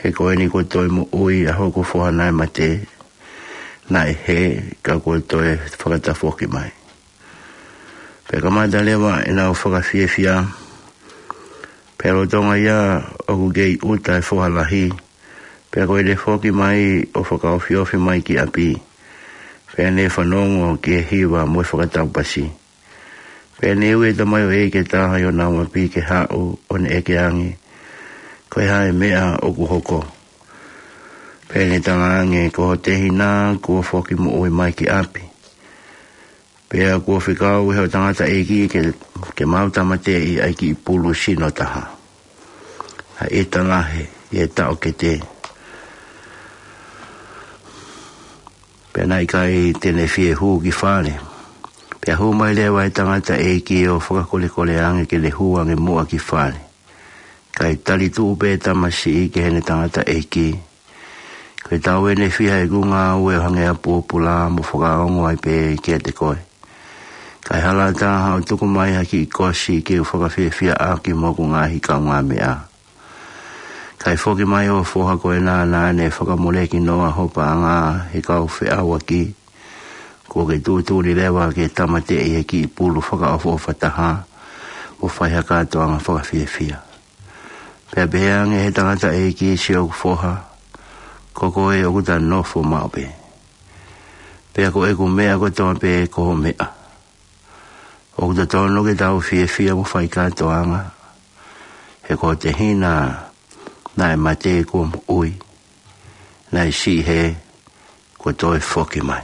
He ko eni kuo toe moʻui ʻa hoku foha naʻe mate, naʻe hē, ka kuo toe fakatafoki mai. Pea kamata leva ʻenau fakafiefia, pea lolotonga ia ʻoku kei ʻuta e foha lahi, pea ko ʻene foki mai ʻo fakaofiofi mai ki ʻapi, pea ne fanongo ki he hiva mo e fakataupasi. Pea ne ui e tamaioʻeiki ʻe taha ʻi honau ʻapi ke haʻu ʻo ne ʻeke ange, Ko e hā e meʻa ʻoku hoko? Pea ne talaange, Ko ho tehina kuo foki moʻui mai ki ʻapi. Pea kuo fekau ʻe hoʻo tangataʻeiki ke, ke mau tāmateʻi ʻa e kiʻi pulu sino taha. ʻA e talahe ʻi he taʻokete. Pea naʻe ʻikai te ne fie hū ki fale. Pea hū mai leva e tangataʻeiki ʻo fakakolekole ange ke ne hū ange muʻa ki fale. Kae tali tuʻu pē tamasiʻi ki heʻene tangataʻeiki. Ko e taʻu ʻeni ʻe fiha ʻeku ngāue ʻo hangē ha pōpula mo fakaongo ai pē kiate koe. Kae hala taha ʻo tuku mai ha kiʻi kosi ke u fakafiefia ʻaki mo hoku ngaahi kaungāmeʻa. Kae foki mai ho foha ko ena naʻa ne fakamoleki noa ho paʻanga he kau feʻauaki. Kuo ke tuʻutuʻuni leva ke tāmateʻi e kiʻi pulu fakaʻofoʻofa taha, mo fai ha kātoanga fakafiefia. Pea pehē ange ʻe he tangataʻeiki, Siʻoku foha, ko koe ʻoku ta nofo maʻu pē. Pea ko ʻeku meʻa kotoa pē ko ho meʻa. ʻOku totonu ke tau fiefia mo fai kātoanga. He ko ho tehina naʻe mate kuo moʻui. Naʻe siʻi hē kuo toe foki mai.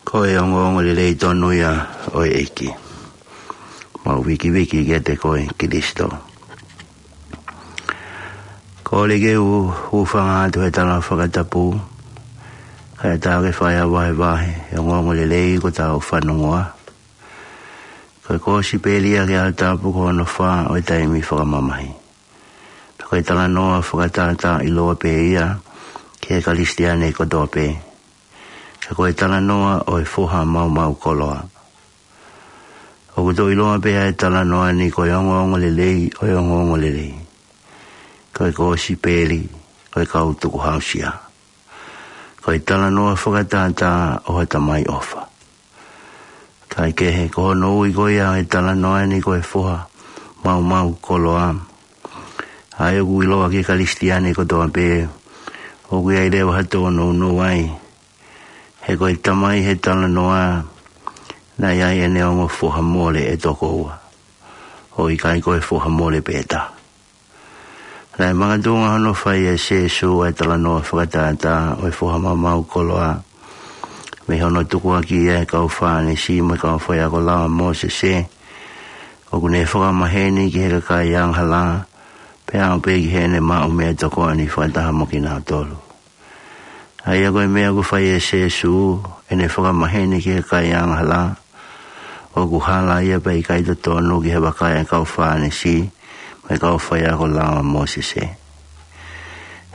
Ko e ongoongolelei tonu ia ʻo e ʻEiki. Mau vikiviki kiate koe Kilisitō. Kole ke u hūfanga atu he tala fakatapu, kae ʻatā ke fai ha vahevahe he ongoongolelei kuo tau fanongoa. Ko e kōsipeli ʻa e ʻaho tapu ko hono fā ʻo e taimi fakamamahi. Pea ko e talanoa fakatātā ʻiloa pē ia ki he Kalisitiane kotoa pē. Ka ko e talanoa ʻo e foha maumau koloa. ʻOku tau ʻiloa pē ʻa e talanoa ni ko e ongoongolelei ʻo e ongoongolelei. Ko e kōsipeli ʻo e kau tukuhāusia. Ko e talanoa fakatātā ʻo ha Tamai ʻofa. Kae kehe, ko hono ui ko ia e talanoa ni ko e foha maumau koloa. ʻA ia ʻoku ʻiloa ki he Kalisitiane kotoa pē, ʻoku ʻi ai leva ha tōnounou ai. He ko e tamai he talanoa, naʻe ʻi ai ʻene ongo foha mole ʻe toko ua. ʻOku ʻikai ko e foha mole pē taha. Naʻe makatuʻunga hono fai ʻe Sīsū ʻa e talanoa fakatātā ʻo e foha maumau koloa. Mei hono tukuakiʻi ʻe he kau Fālesi mo e kau faiako lao ʻa Mōsese. ʻOku ne fakamaheni ki he kakai angahala, pea aʻu pē ki heʻene maʻu meʻatokoni fakataha mo kinautolu. ʻA ia ko e meʻa ʻoku fai ʻe Sīsū, ʻene fakamaheni ki he kakai angahala, ʻoku hala ia pea ʻikai totonu ki he vakai ʻa e kau Fālesi mo e kau faiako lao ʻa Mōsese.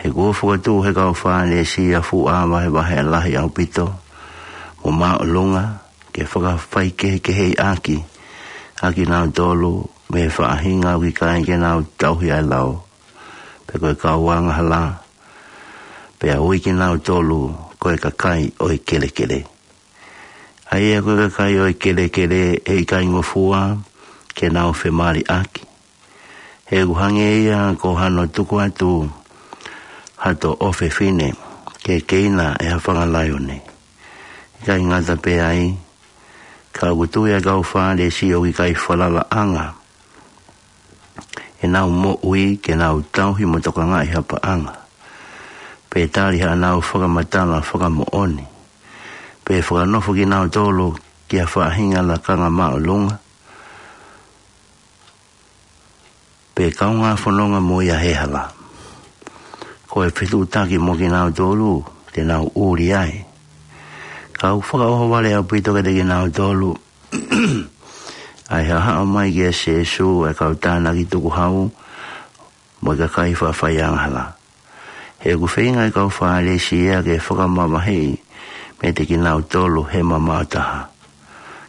He kuo fokotuʻu he kau Fālesi ʻa e fuʻu ʻā vahevahe lahi ʻaupito mo māʻolunga, ke fakafaikehekeheʻi ʻaki ʻa kinautolu mei he faʻahinga ʻoku ʻikai ke nau tauhi ʻa e lao, pe ko e kau angahala, pea ui kinautolu ko e kakai ʻo e kelekele. ʻA ia ko e kakai ʻo e kelekele ʻe ʻikai ngofua ke nau femaliʻaki. He ʻoku hangē ia ko hano tuku atu hato ʻofefine ke keina ʻe ha fanga laione. ʻIkai ngata pē ai, ka ʻoku tui ʻa e kau Fālesi ʻoku ʻikai falalaʻanga ʻenau moʻui ke nau tauhi mo tokangaʻi ha paʻanga, pe tali haʻanau fakamatala fakamoʻoni, pe fakanofo kinautolu ki ha faʻahinga lakanga māʻolunga, pe kaungā fononga mo ia he hala. Ko e fetuʻutaki mo kinautolu te nau ʻuli ai. Ka ʻoku fakaʻohovale ʻaupito kiate kinautolu ʻa e haʻahaʻa mai kia Sīsū ʻa e kau tānaki tukuhau mo e kakai faʻa faiangahala. He ʻoku feinga ʻa e kau Fālesi ia ke fakamavaheʻi meiate kinautolu he mamaʻo taha.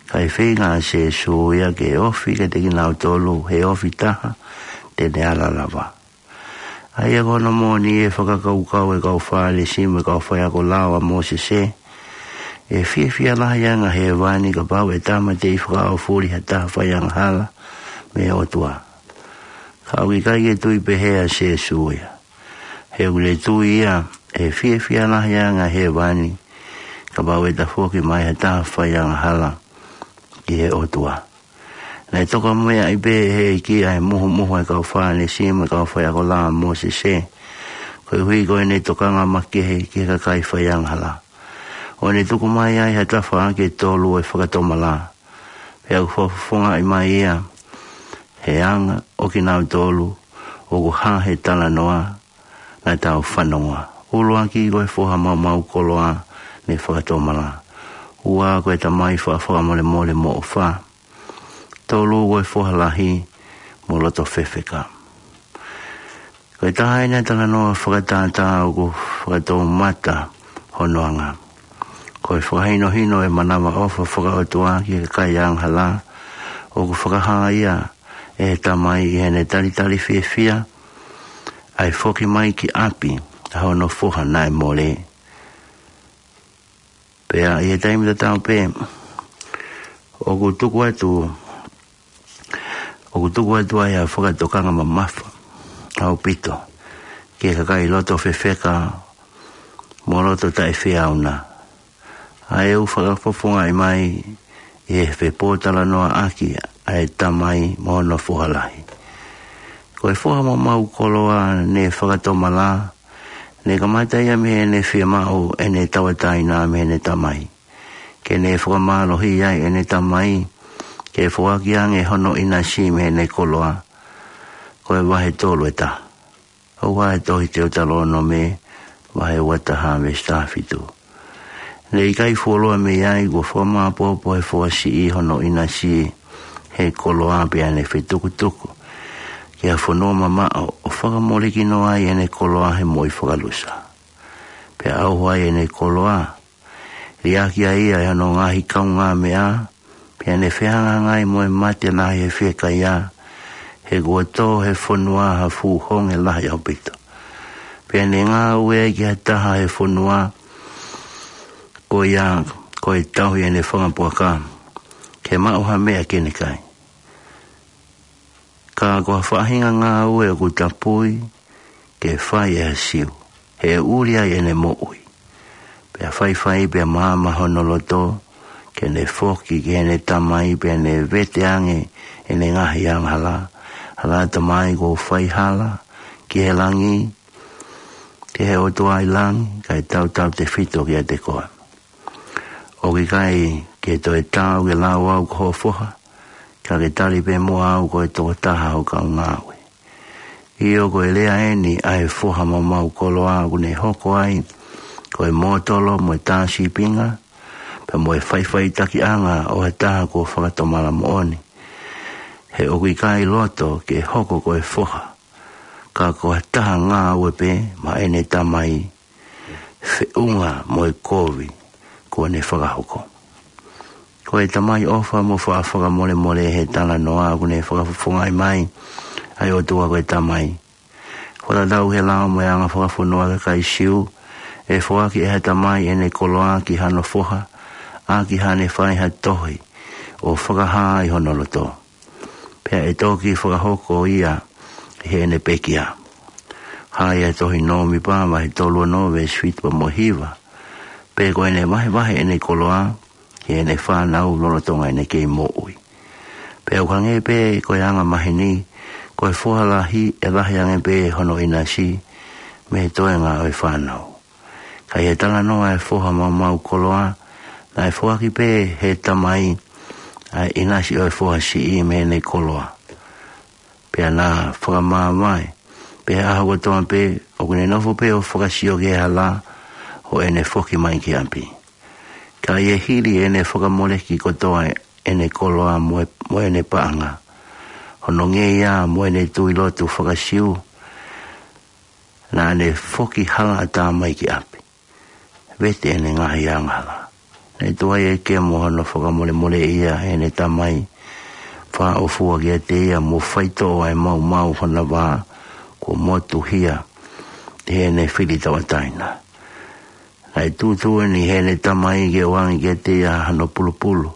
Kae feinga ʻa Sīsū ia ke ofi kiate kinautolu he ofi taha te ne ala lava. ʻA ia ko hono moʻoni ʻe fakakaukau ʻa e kau Fālesi mo e kau faiako lao ʻa Mōsese, ʻe fiefia lahi ange ʻa hēvani kapau ʻe tāmateʻi fakaʻaufuli ha taha faiangahala mei he ʻOtua. Ka ʻoku ʻikai ke tui pehē ʻa Sīsū ia. He ʻoku ne tui ia ʻe fiefia lahi ange ʻa hēvani kapau ʻe tafoki mai ha taha faiangahala ki he ʻOtua. Naʻe tokameaʻi pē ʻe he ʻEiki ʻa e muhumuhu ʻa e kau Fālesi mo e kau faiako lao ʻa Mōsese, koeʻuhi ko ʻene tokanga makehe ki he kakai faiangahala, ʻo ne tuku mai ai ha tafaʻaki ʻe tolu ʻo e fakatomala. Pea ʻoku fakafofongaʻi mai ia he anga ʻo kinautolu ʻoku hā he talanoa naʻa tau fanongoa. ʻUluaki, ko e foha maumau koloa ne fakatomala. Ua, ko e tamai faʻa fakamolemole mo ʻofa. Tolu, ko e foha lahi mo loto fefeka. Ko e taha eni ʻa e talanoa fakatātā ʻoku fakatoumata hono anga. Ko e fakahinohino ʻo e manavaʻofa fakaʻotua ki he kakai angahala, ʻoku fakahā ia ʻe he tamai ʻi heʻene talitali fiefia ʻa e foki mai ki ʻapi ʻa hono foha naʻe mole. Pea ʻi he taimi tatau pē, ʻoku tuku atu, ʻoku tuku atu ai ʻa e fakatokanga mamafa ʻaupito ki he kakai loto fefeka mo loto taʻefeʻauna, ʻa ē ʻoku fakafofongaʻi mai ʻi he fepōtalanoaʻaki ʻa e tamai mo hono foha lahi. Ko e foha maumau koloa ne fakatomala, ne kamata ia mei heʻene fiemaʻu ʻene tauʻatāina mei heʻene tamai, ke ne fakamālohiʻi ai ʻene tamai ke foaki ange hono ʻinasi mei heʻene koloa. Ko e vahe tolu ʻe taha. ʻOku ʻi he tohi Teutalōnome, vahe ua taha veesi taha fitu. Ne ʻikai fuoloa mei ai, kuo fakamāopoopo ʻe he foha siʻi hono ʻinasi he koloa pea ne fetukutuku ki ha fonua mamaʻo ʻo fakamolekinoa ai ʻene koloa he moʻui fakalusa. Pea ʻauha ai ʻene koloa, liʻaki ai ʻa hono ngaahi kaungāmeʻa, pea ne fehangahangai mo e mate lahi he fiekaia, he kuo tō he fonua ha fuʻu honge lahi ʻaupito. Pea ne ngāue ai ki ha taha he fonua, ko ia ko e tauhi ʻene fanga puaka ke maʻu ha meʻa ke ne kai. Ka ko ha faʻahinga ngāue ʻoku tapui ke fai ʻe ha Siu, he ʻe ʻuli ai ʻene moʻui. Pea faifai pea maama hono loto, ke ne foki ki heʻene tamai pea ne vete ange ʻene ngaahi angahala. Hala tamai, kuo u fai hala ki he langi, ki he ʻOtua ʻi langi, kae tautautefito kiate koe. ʻOku ʻikai ke toe taau ke lau au ko hoʻo foha, ka ke tali pē muʻa au ko e tokotaha ho kau ngāue. ʻIo, ko e lea eni ʻa e foha maumau koloa ʻoku ne hoko ai ko e mōtolo mo e tā sīpinga, pea mo e faʻifaʻitakiʻanga ʻo ha taha kuo fakatomala moʻoni. He ʻoku ʻikai loto ke hoko ko e foha, ka ko ha taha ngāue pē maʻa ʻene tamai, feʻunga mo e kovi kuo ne fakahoko. Ko e Tamai ʻofa mo faʻa fakamolemole, he talanoa ʻoku ne fakafofongaʻi mai ʻa e ʻOtua ko e Tamai. Fakatatau he lao mo e anga fakafonua ʻa e kakai Siu, ʻe foaki ʻe ha tamai ʻene koloa ki hano foha, ʻaki haʻane fai ha tohi ʻo fakahā ʻi hono loto. Pea ʻe toki fakahoko ia ʻi heʻene pekia. Hā ʻi he tohi Nōmipa vahe tolu ono veesi fitu pea mo e hiva. Pea ko ʻene vahevahe ʻene koloa ki heʻene fānau lolotonga ʻene kei moʻui. Pea ʻoku hangē pē ko e anga maheni, ko e foha lahi ʻe lahi ange pē hono ʻinasi mei he toenga ʻo e fānau. Ka ʻi he talanoa ʻa e foha maumau koloa, naʻe foaki pē ʻe he tamai ʻa e ʻinasi ʻo e foha siʻi mei heʻene koloa. Pea na fakamāvae pē he ʻaho kotoa pē, ʻoku ne nofo pē ʻo fakasio ki he hala ʻo ʻene foki mai ki ʻapi. Ka ʻi he hili ʻene fakamoleki kotoa ʻene koloa mo e, mo ʻene paʻanga, hono ngeia mo ʻene tui lotu faka-Siu, naʻa ne foki halaʻatā mai ki ʻapi. Vete ʻene ngaahi angahala. Naʻe tuai ʻeke mo hono fakamolemoleʻi ia ʻe heʻene tamai, fāʻofua kiate ia mo faitoʻo ʻa e maumau hona vā kuo motuhia ʻe heʻene fili tauʻatāina. Naʻe tuʻutuʻuni ʻe heʻene tamai ke ʻoange kiate ia hano pulupulu,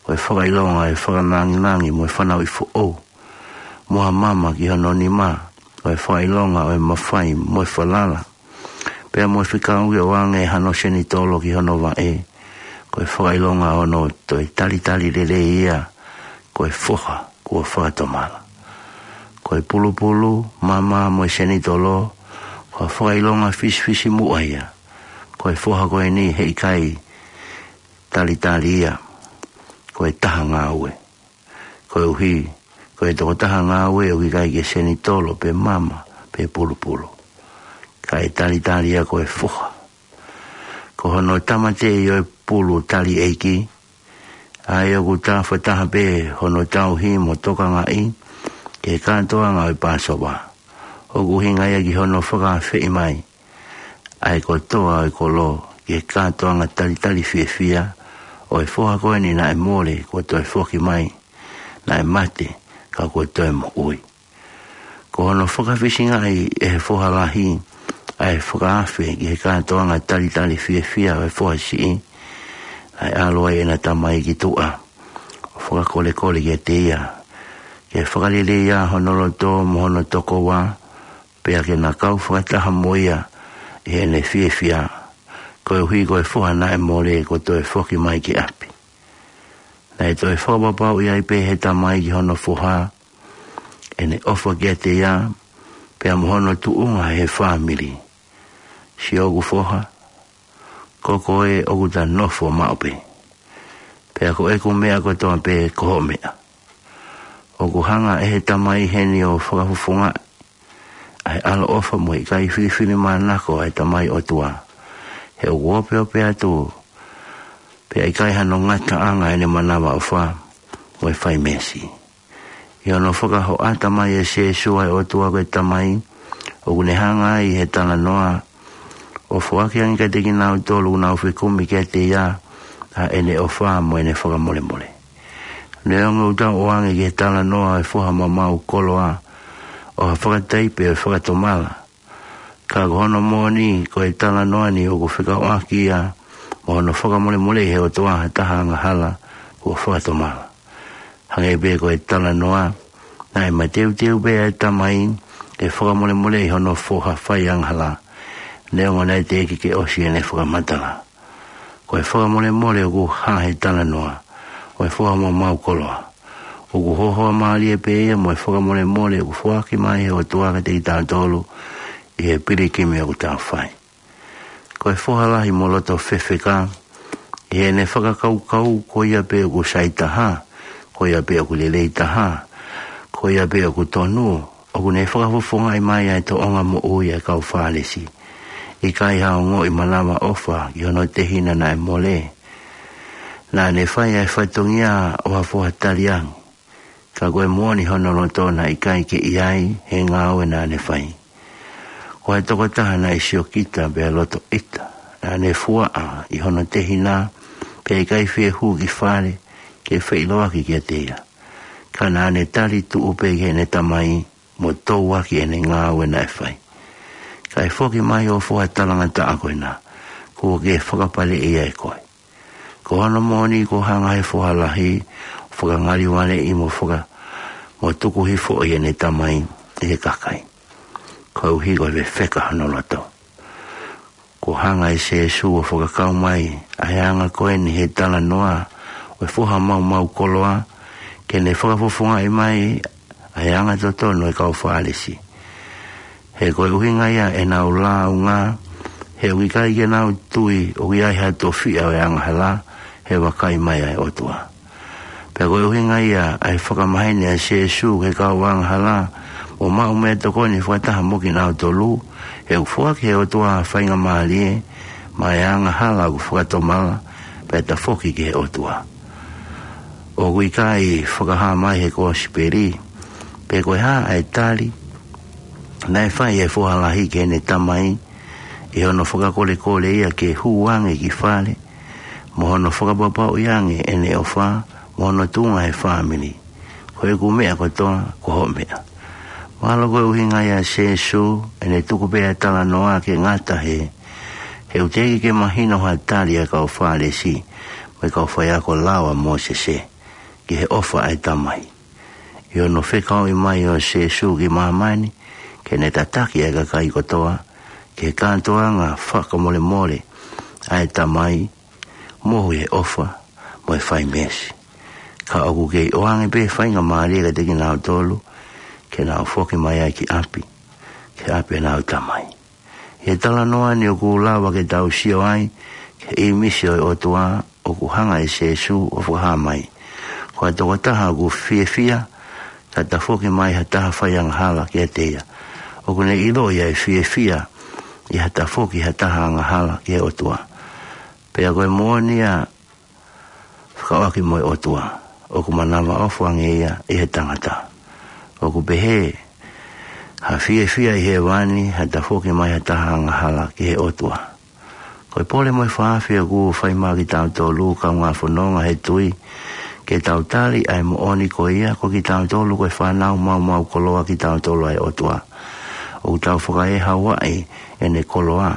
ko e fakaʻilonga ʻo e fakalāngilangi mo e fanauʻi foʻou, mo ha mama ki hono nima, ko e fakaʻilonga ʻo e mafai mo e falala. Pea mo e fekau ke ʻoange hano senitolo ki hono vaʻe, ko e fakaʻilonga ʻo hono toe talitali lelei ia ko e foha kuo fakatomala. Ko e pulupulu, mama mo e senitolo, ko e fakaʻilonga fisifisimuʻa ia. Ko e foha ko eni heʻikai talitali ia ko e taha ngāue. Koeʻuhi ko e tokotaha ngāue ʻoku ʻikai ke senitolo pe mama pe pulupulu, kae talitali ia ko e foha. Ko hono tāmateʻi ʻo e pulu tali ʻeiki, ʻa ia ʻoku tafataha pē hono tauhi mo tokangaʻi ki he kātoanga ʻo e Pāsova, ʻoku ʻuhinga ia ki hono fakaafeʻi mai ʻa e kotoa ʻo e kolo ki he kātoanga talitali fiefia ʻo e foha ko eni naʻe mole kuo toe foki mai, naʻe mate ka kuo toe moʻui. Ko hono fakafisingaʻi ʻe he foha lahi ʻa e fakaafe ki he kātoanga talitali fiefia ʻo e foha siʻi, naʻe ʻalu ai ʻena tamai ki tuʻa ʻo fakakolekole kiate ia ke fakalelei ʻa hono loto mo hono tokoua, pea ke na kau fakataha mo ia ʻi heʻene fiefia, koeʻuhi ko e foha naʻe mole kuo toe foki mai ki ʻapi. Naʻe toe fakapapauʻi ai pē ʻe he tamai ki hono foha ʻene ʻofa kiate ia, pea mo hono tuʻunga he fāmili. Siʻoku foha, ko koe ʻoku ta nofo maʻu pē, pea ko ʻeku meʻa kotoa pē ko hoʻo meʻa. ʻOku hanga ʻe he tamai heni ʻo fakafofongaʻi ʻa e ʻaloʻofa mo e ʻikai filifilimānako ʻa e Tamai ʻOtua, he ʻoku opeope atu pea ʻikai hano ngataʻanga ʻene manavaʻofa mo e fai meesi. ʻI hono fakahoʻata mai ʻe Sēsū ʻa e ʻOtua ko e Tamai, ʻoku ne hanga ai ʻe he talanoa ʻo foaki ange kiate kinautolu ʻoku nau fekumi kiate ia ʻa ʻene ʻofa mo ʻene fakamolemole. Neongo ʻoku tau ʻoange ki he talanoa ʻo e foha maumau koloa ʻo ha fakataipe ʻo e fakatomala, ka ko hono moʻoni ko e talanoa ni ʻoku fekauʻaki ia mo hono fakamolemoleʻi ʻe he ʻOtua ha taha angahala kuo fakatomala. Hangē pē ko e talanoa, naʻe mateuteu pē ʻa e tamai ke fakamolemoleʻi hono foha faiangahala, neongo naʻe teʻeki ke ʻosi ʻene fakamatala. Ko e fakamolemole ʻoku hā he talanoa ʻo e foha maumau koloa, ʻoku hohoa mālie pē ia mo e fakamolemole ʻoku foaki mai ʻe he ʻOtua kiate kitautolu ʻi he pilikimi ʻoku tau fai. Ko e foha lahi mo loto fefeka, ʻi heʻene fakakaukau ko ia pē ʻoku sai taha, ko ia pē ʻoku lelei taha, ko ia pē ʻoku tonu, ʻoku ne fakafofongaʻi mai ʻa e tōʻonga moʻui ʻa e kau Fālesi. ʻIkai ha ongoʻi manavaʻofa ki hono tehina naʻe mole. Naʻa ne fai ʻa e fatongia ʻo ha foha taliangi, ka ko e moʻoni hono loto naʻe ʻikai ke ʻi ai he ngāue naʻa ne fai. Ko e tokotaha naʻe siokita pea loto ʻita, naʻa ne fuaʻa ʻi hono tehina, pea ʻikai fie hū ki fale ke feʻiloaki kiate ia. Ka naʻa ne tali tuʻu pē ki heʻene tamai, mo touaki ʻene ngāue naʻe fai. Kae foki mai ʻo foha talangataʻa ko ena, kuo ke fakapaleʻi ia ʻe koe. Ko hono moʻoni kuo hanga he foha lahi ʻo fakangalivaleʻi mo faka-, mo tuku hifo ʻi heʻene tamai ʻi he kakai, koeʻuhi ko e fefeka hono loto. Kuo hanga ʻe Sēsū ʻo fakakau mai ʻa e anga ko eni he talanoa ʻo e foha maumau koloa, ke ne fakafofongaʻi mai ʻa e anga totonu ʻo e kau Fālesi. He ko e ʻuhinga ia ʻenau lāunga, he ʻoku ʻikai ke nau tui ʻoku ʻi ai ha tofiʻa ʻo e angahala he vakai mai ʻa e ʻOtua. Pea ko e ʻuhinga ia ʻa e fakamaheni ʻa Sēsū ki he kau angahala, ʻo maʻu meʻatokoni fakataha mo kinautolu, he ʻoku foaki ʻe he ʻOtua ʻa e faingamālie maʻa e angahala ʻoku fakatomala, pea tafoki ki he ʻOtua. ʻOku ʻikai fakahā mai he kosipeli pe ko e hā ʻa e tali naʻe fai ʻe he foha lahi ki heʻene tamai, ʻi hono fakakolekole ia ke hū ange ki fale, mo hono fakapapauʻi ange ʻene ʻofa mo hono tuʻunga he fāmili. Ko ʻeku meʻa kotoa ko hoʻo meʻa. Mahalo ko e ʻuhinga ia ʻa Sēsū, ʻene tuku pē ʻa e talanoa ke ngata he, he ʻoku teʻeki ke mahino ha tali ʻa e kau Fālesi mo e kau faiako lao ʻa Mōsese ki he ʻofa ʻa e tamai. ʻI hono fekauʻi mai ʻo Sēsū ki māmani ke ne tataki ʻa e kakai kotoa ki he kātoanga fakamolemole ʻa e tamai, mohu ʻi he ʻofa mo e fai meesi. Ka ʻoku kei ʻoange pē faingamālie kiate kinautolu ke nau foki mai ai ki ʻapi, ki ʻapi ʻenau tamai. ʻI he talanoa ni ʻoku lava ke tau sio ai ki he ʻīmisi ʻo e ʻOtua ʻoku hanga ʻe Sēsū ʻo fakahā mai. Ko e tokotaha ʻoku fiefia ka tafoki mai ha taha fai angahala kiate ia, ʻoku ne ʻiloʻi ʻa e fiefia ʻi ha tafoki ha taha angahala ki he ʻOtua. Pea ko e moʻoni ia fekauʻaki mo e ʻOtua, ʻoku manavaʻofa ange ia ʻi he tangata. ʻOku pehē ha fiefia ʻi hēvani ha tafoki mai ha taha angahala ki he ʻOtua. Ko e pole mo e fakaafeʻi ʻoku fai maʻa kitautolu kaungā fononga he tui, ke tau tali ʻa e moʻoni ko ia ko kitautolu ko e fānau maumau koloa kitautolu ʻa e ʻOtua. ʻOku tau fakaʻehaʻuaʻi ʻene koloa.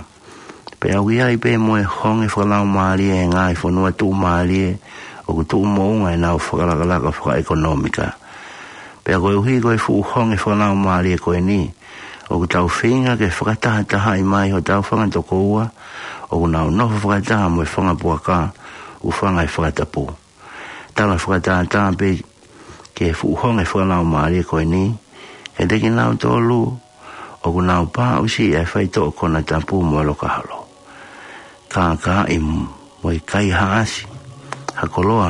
Pea ʻoku ʻi ai pē mo e honge fakalaumālie ʻi he ngaahi fonua tuʻumālie ʻoku tuʻu moʻunga ʻenau fakalakalaka fakaʻekonōmika. Pea koeʻuhi ko e fuʻu honge fakalaumālie ko eni, ʻoku tau feinga ke fakatahatahaʻi mai hotau fanga tokoua ʻoku nau nofo fakataha mo e fanga puaka ʻoku fanga ʻi he fakatapu. Tala fakatātā pē ki he fuʻu honge fakalaumālie ko eni, kiate kinautolu ʻoku nau pāʻusiʻi ʻa e faitoʻo konatapu mo e lokaholo, kākaaʻi mo e kaihaʻasi ha koloa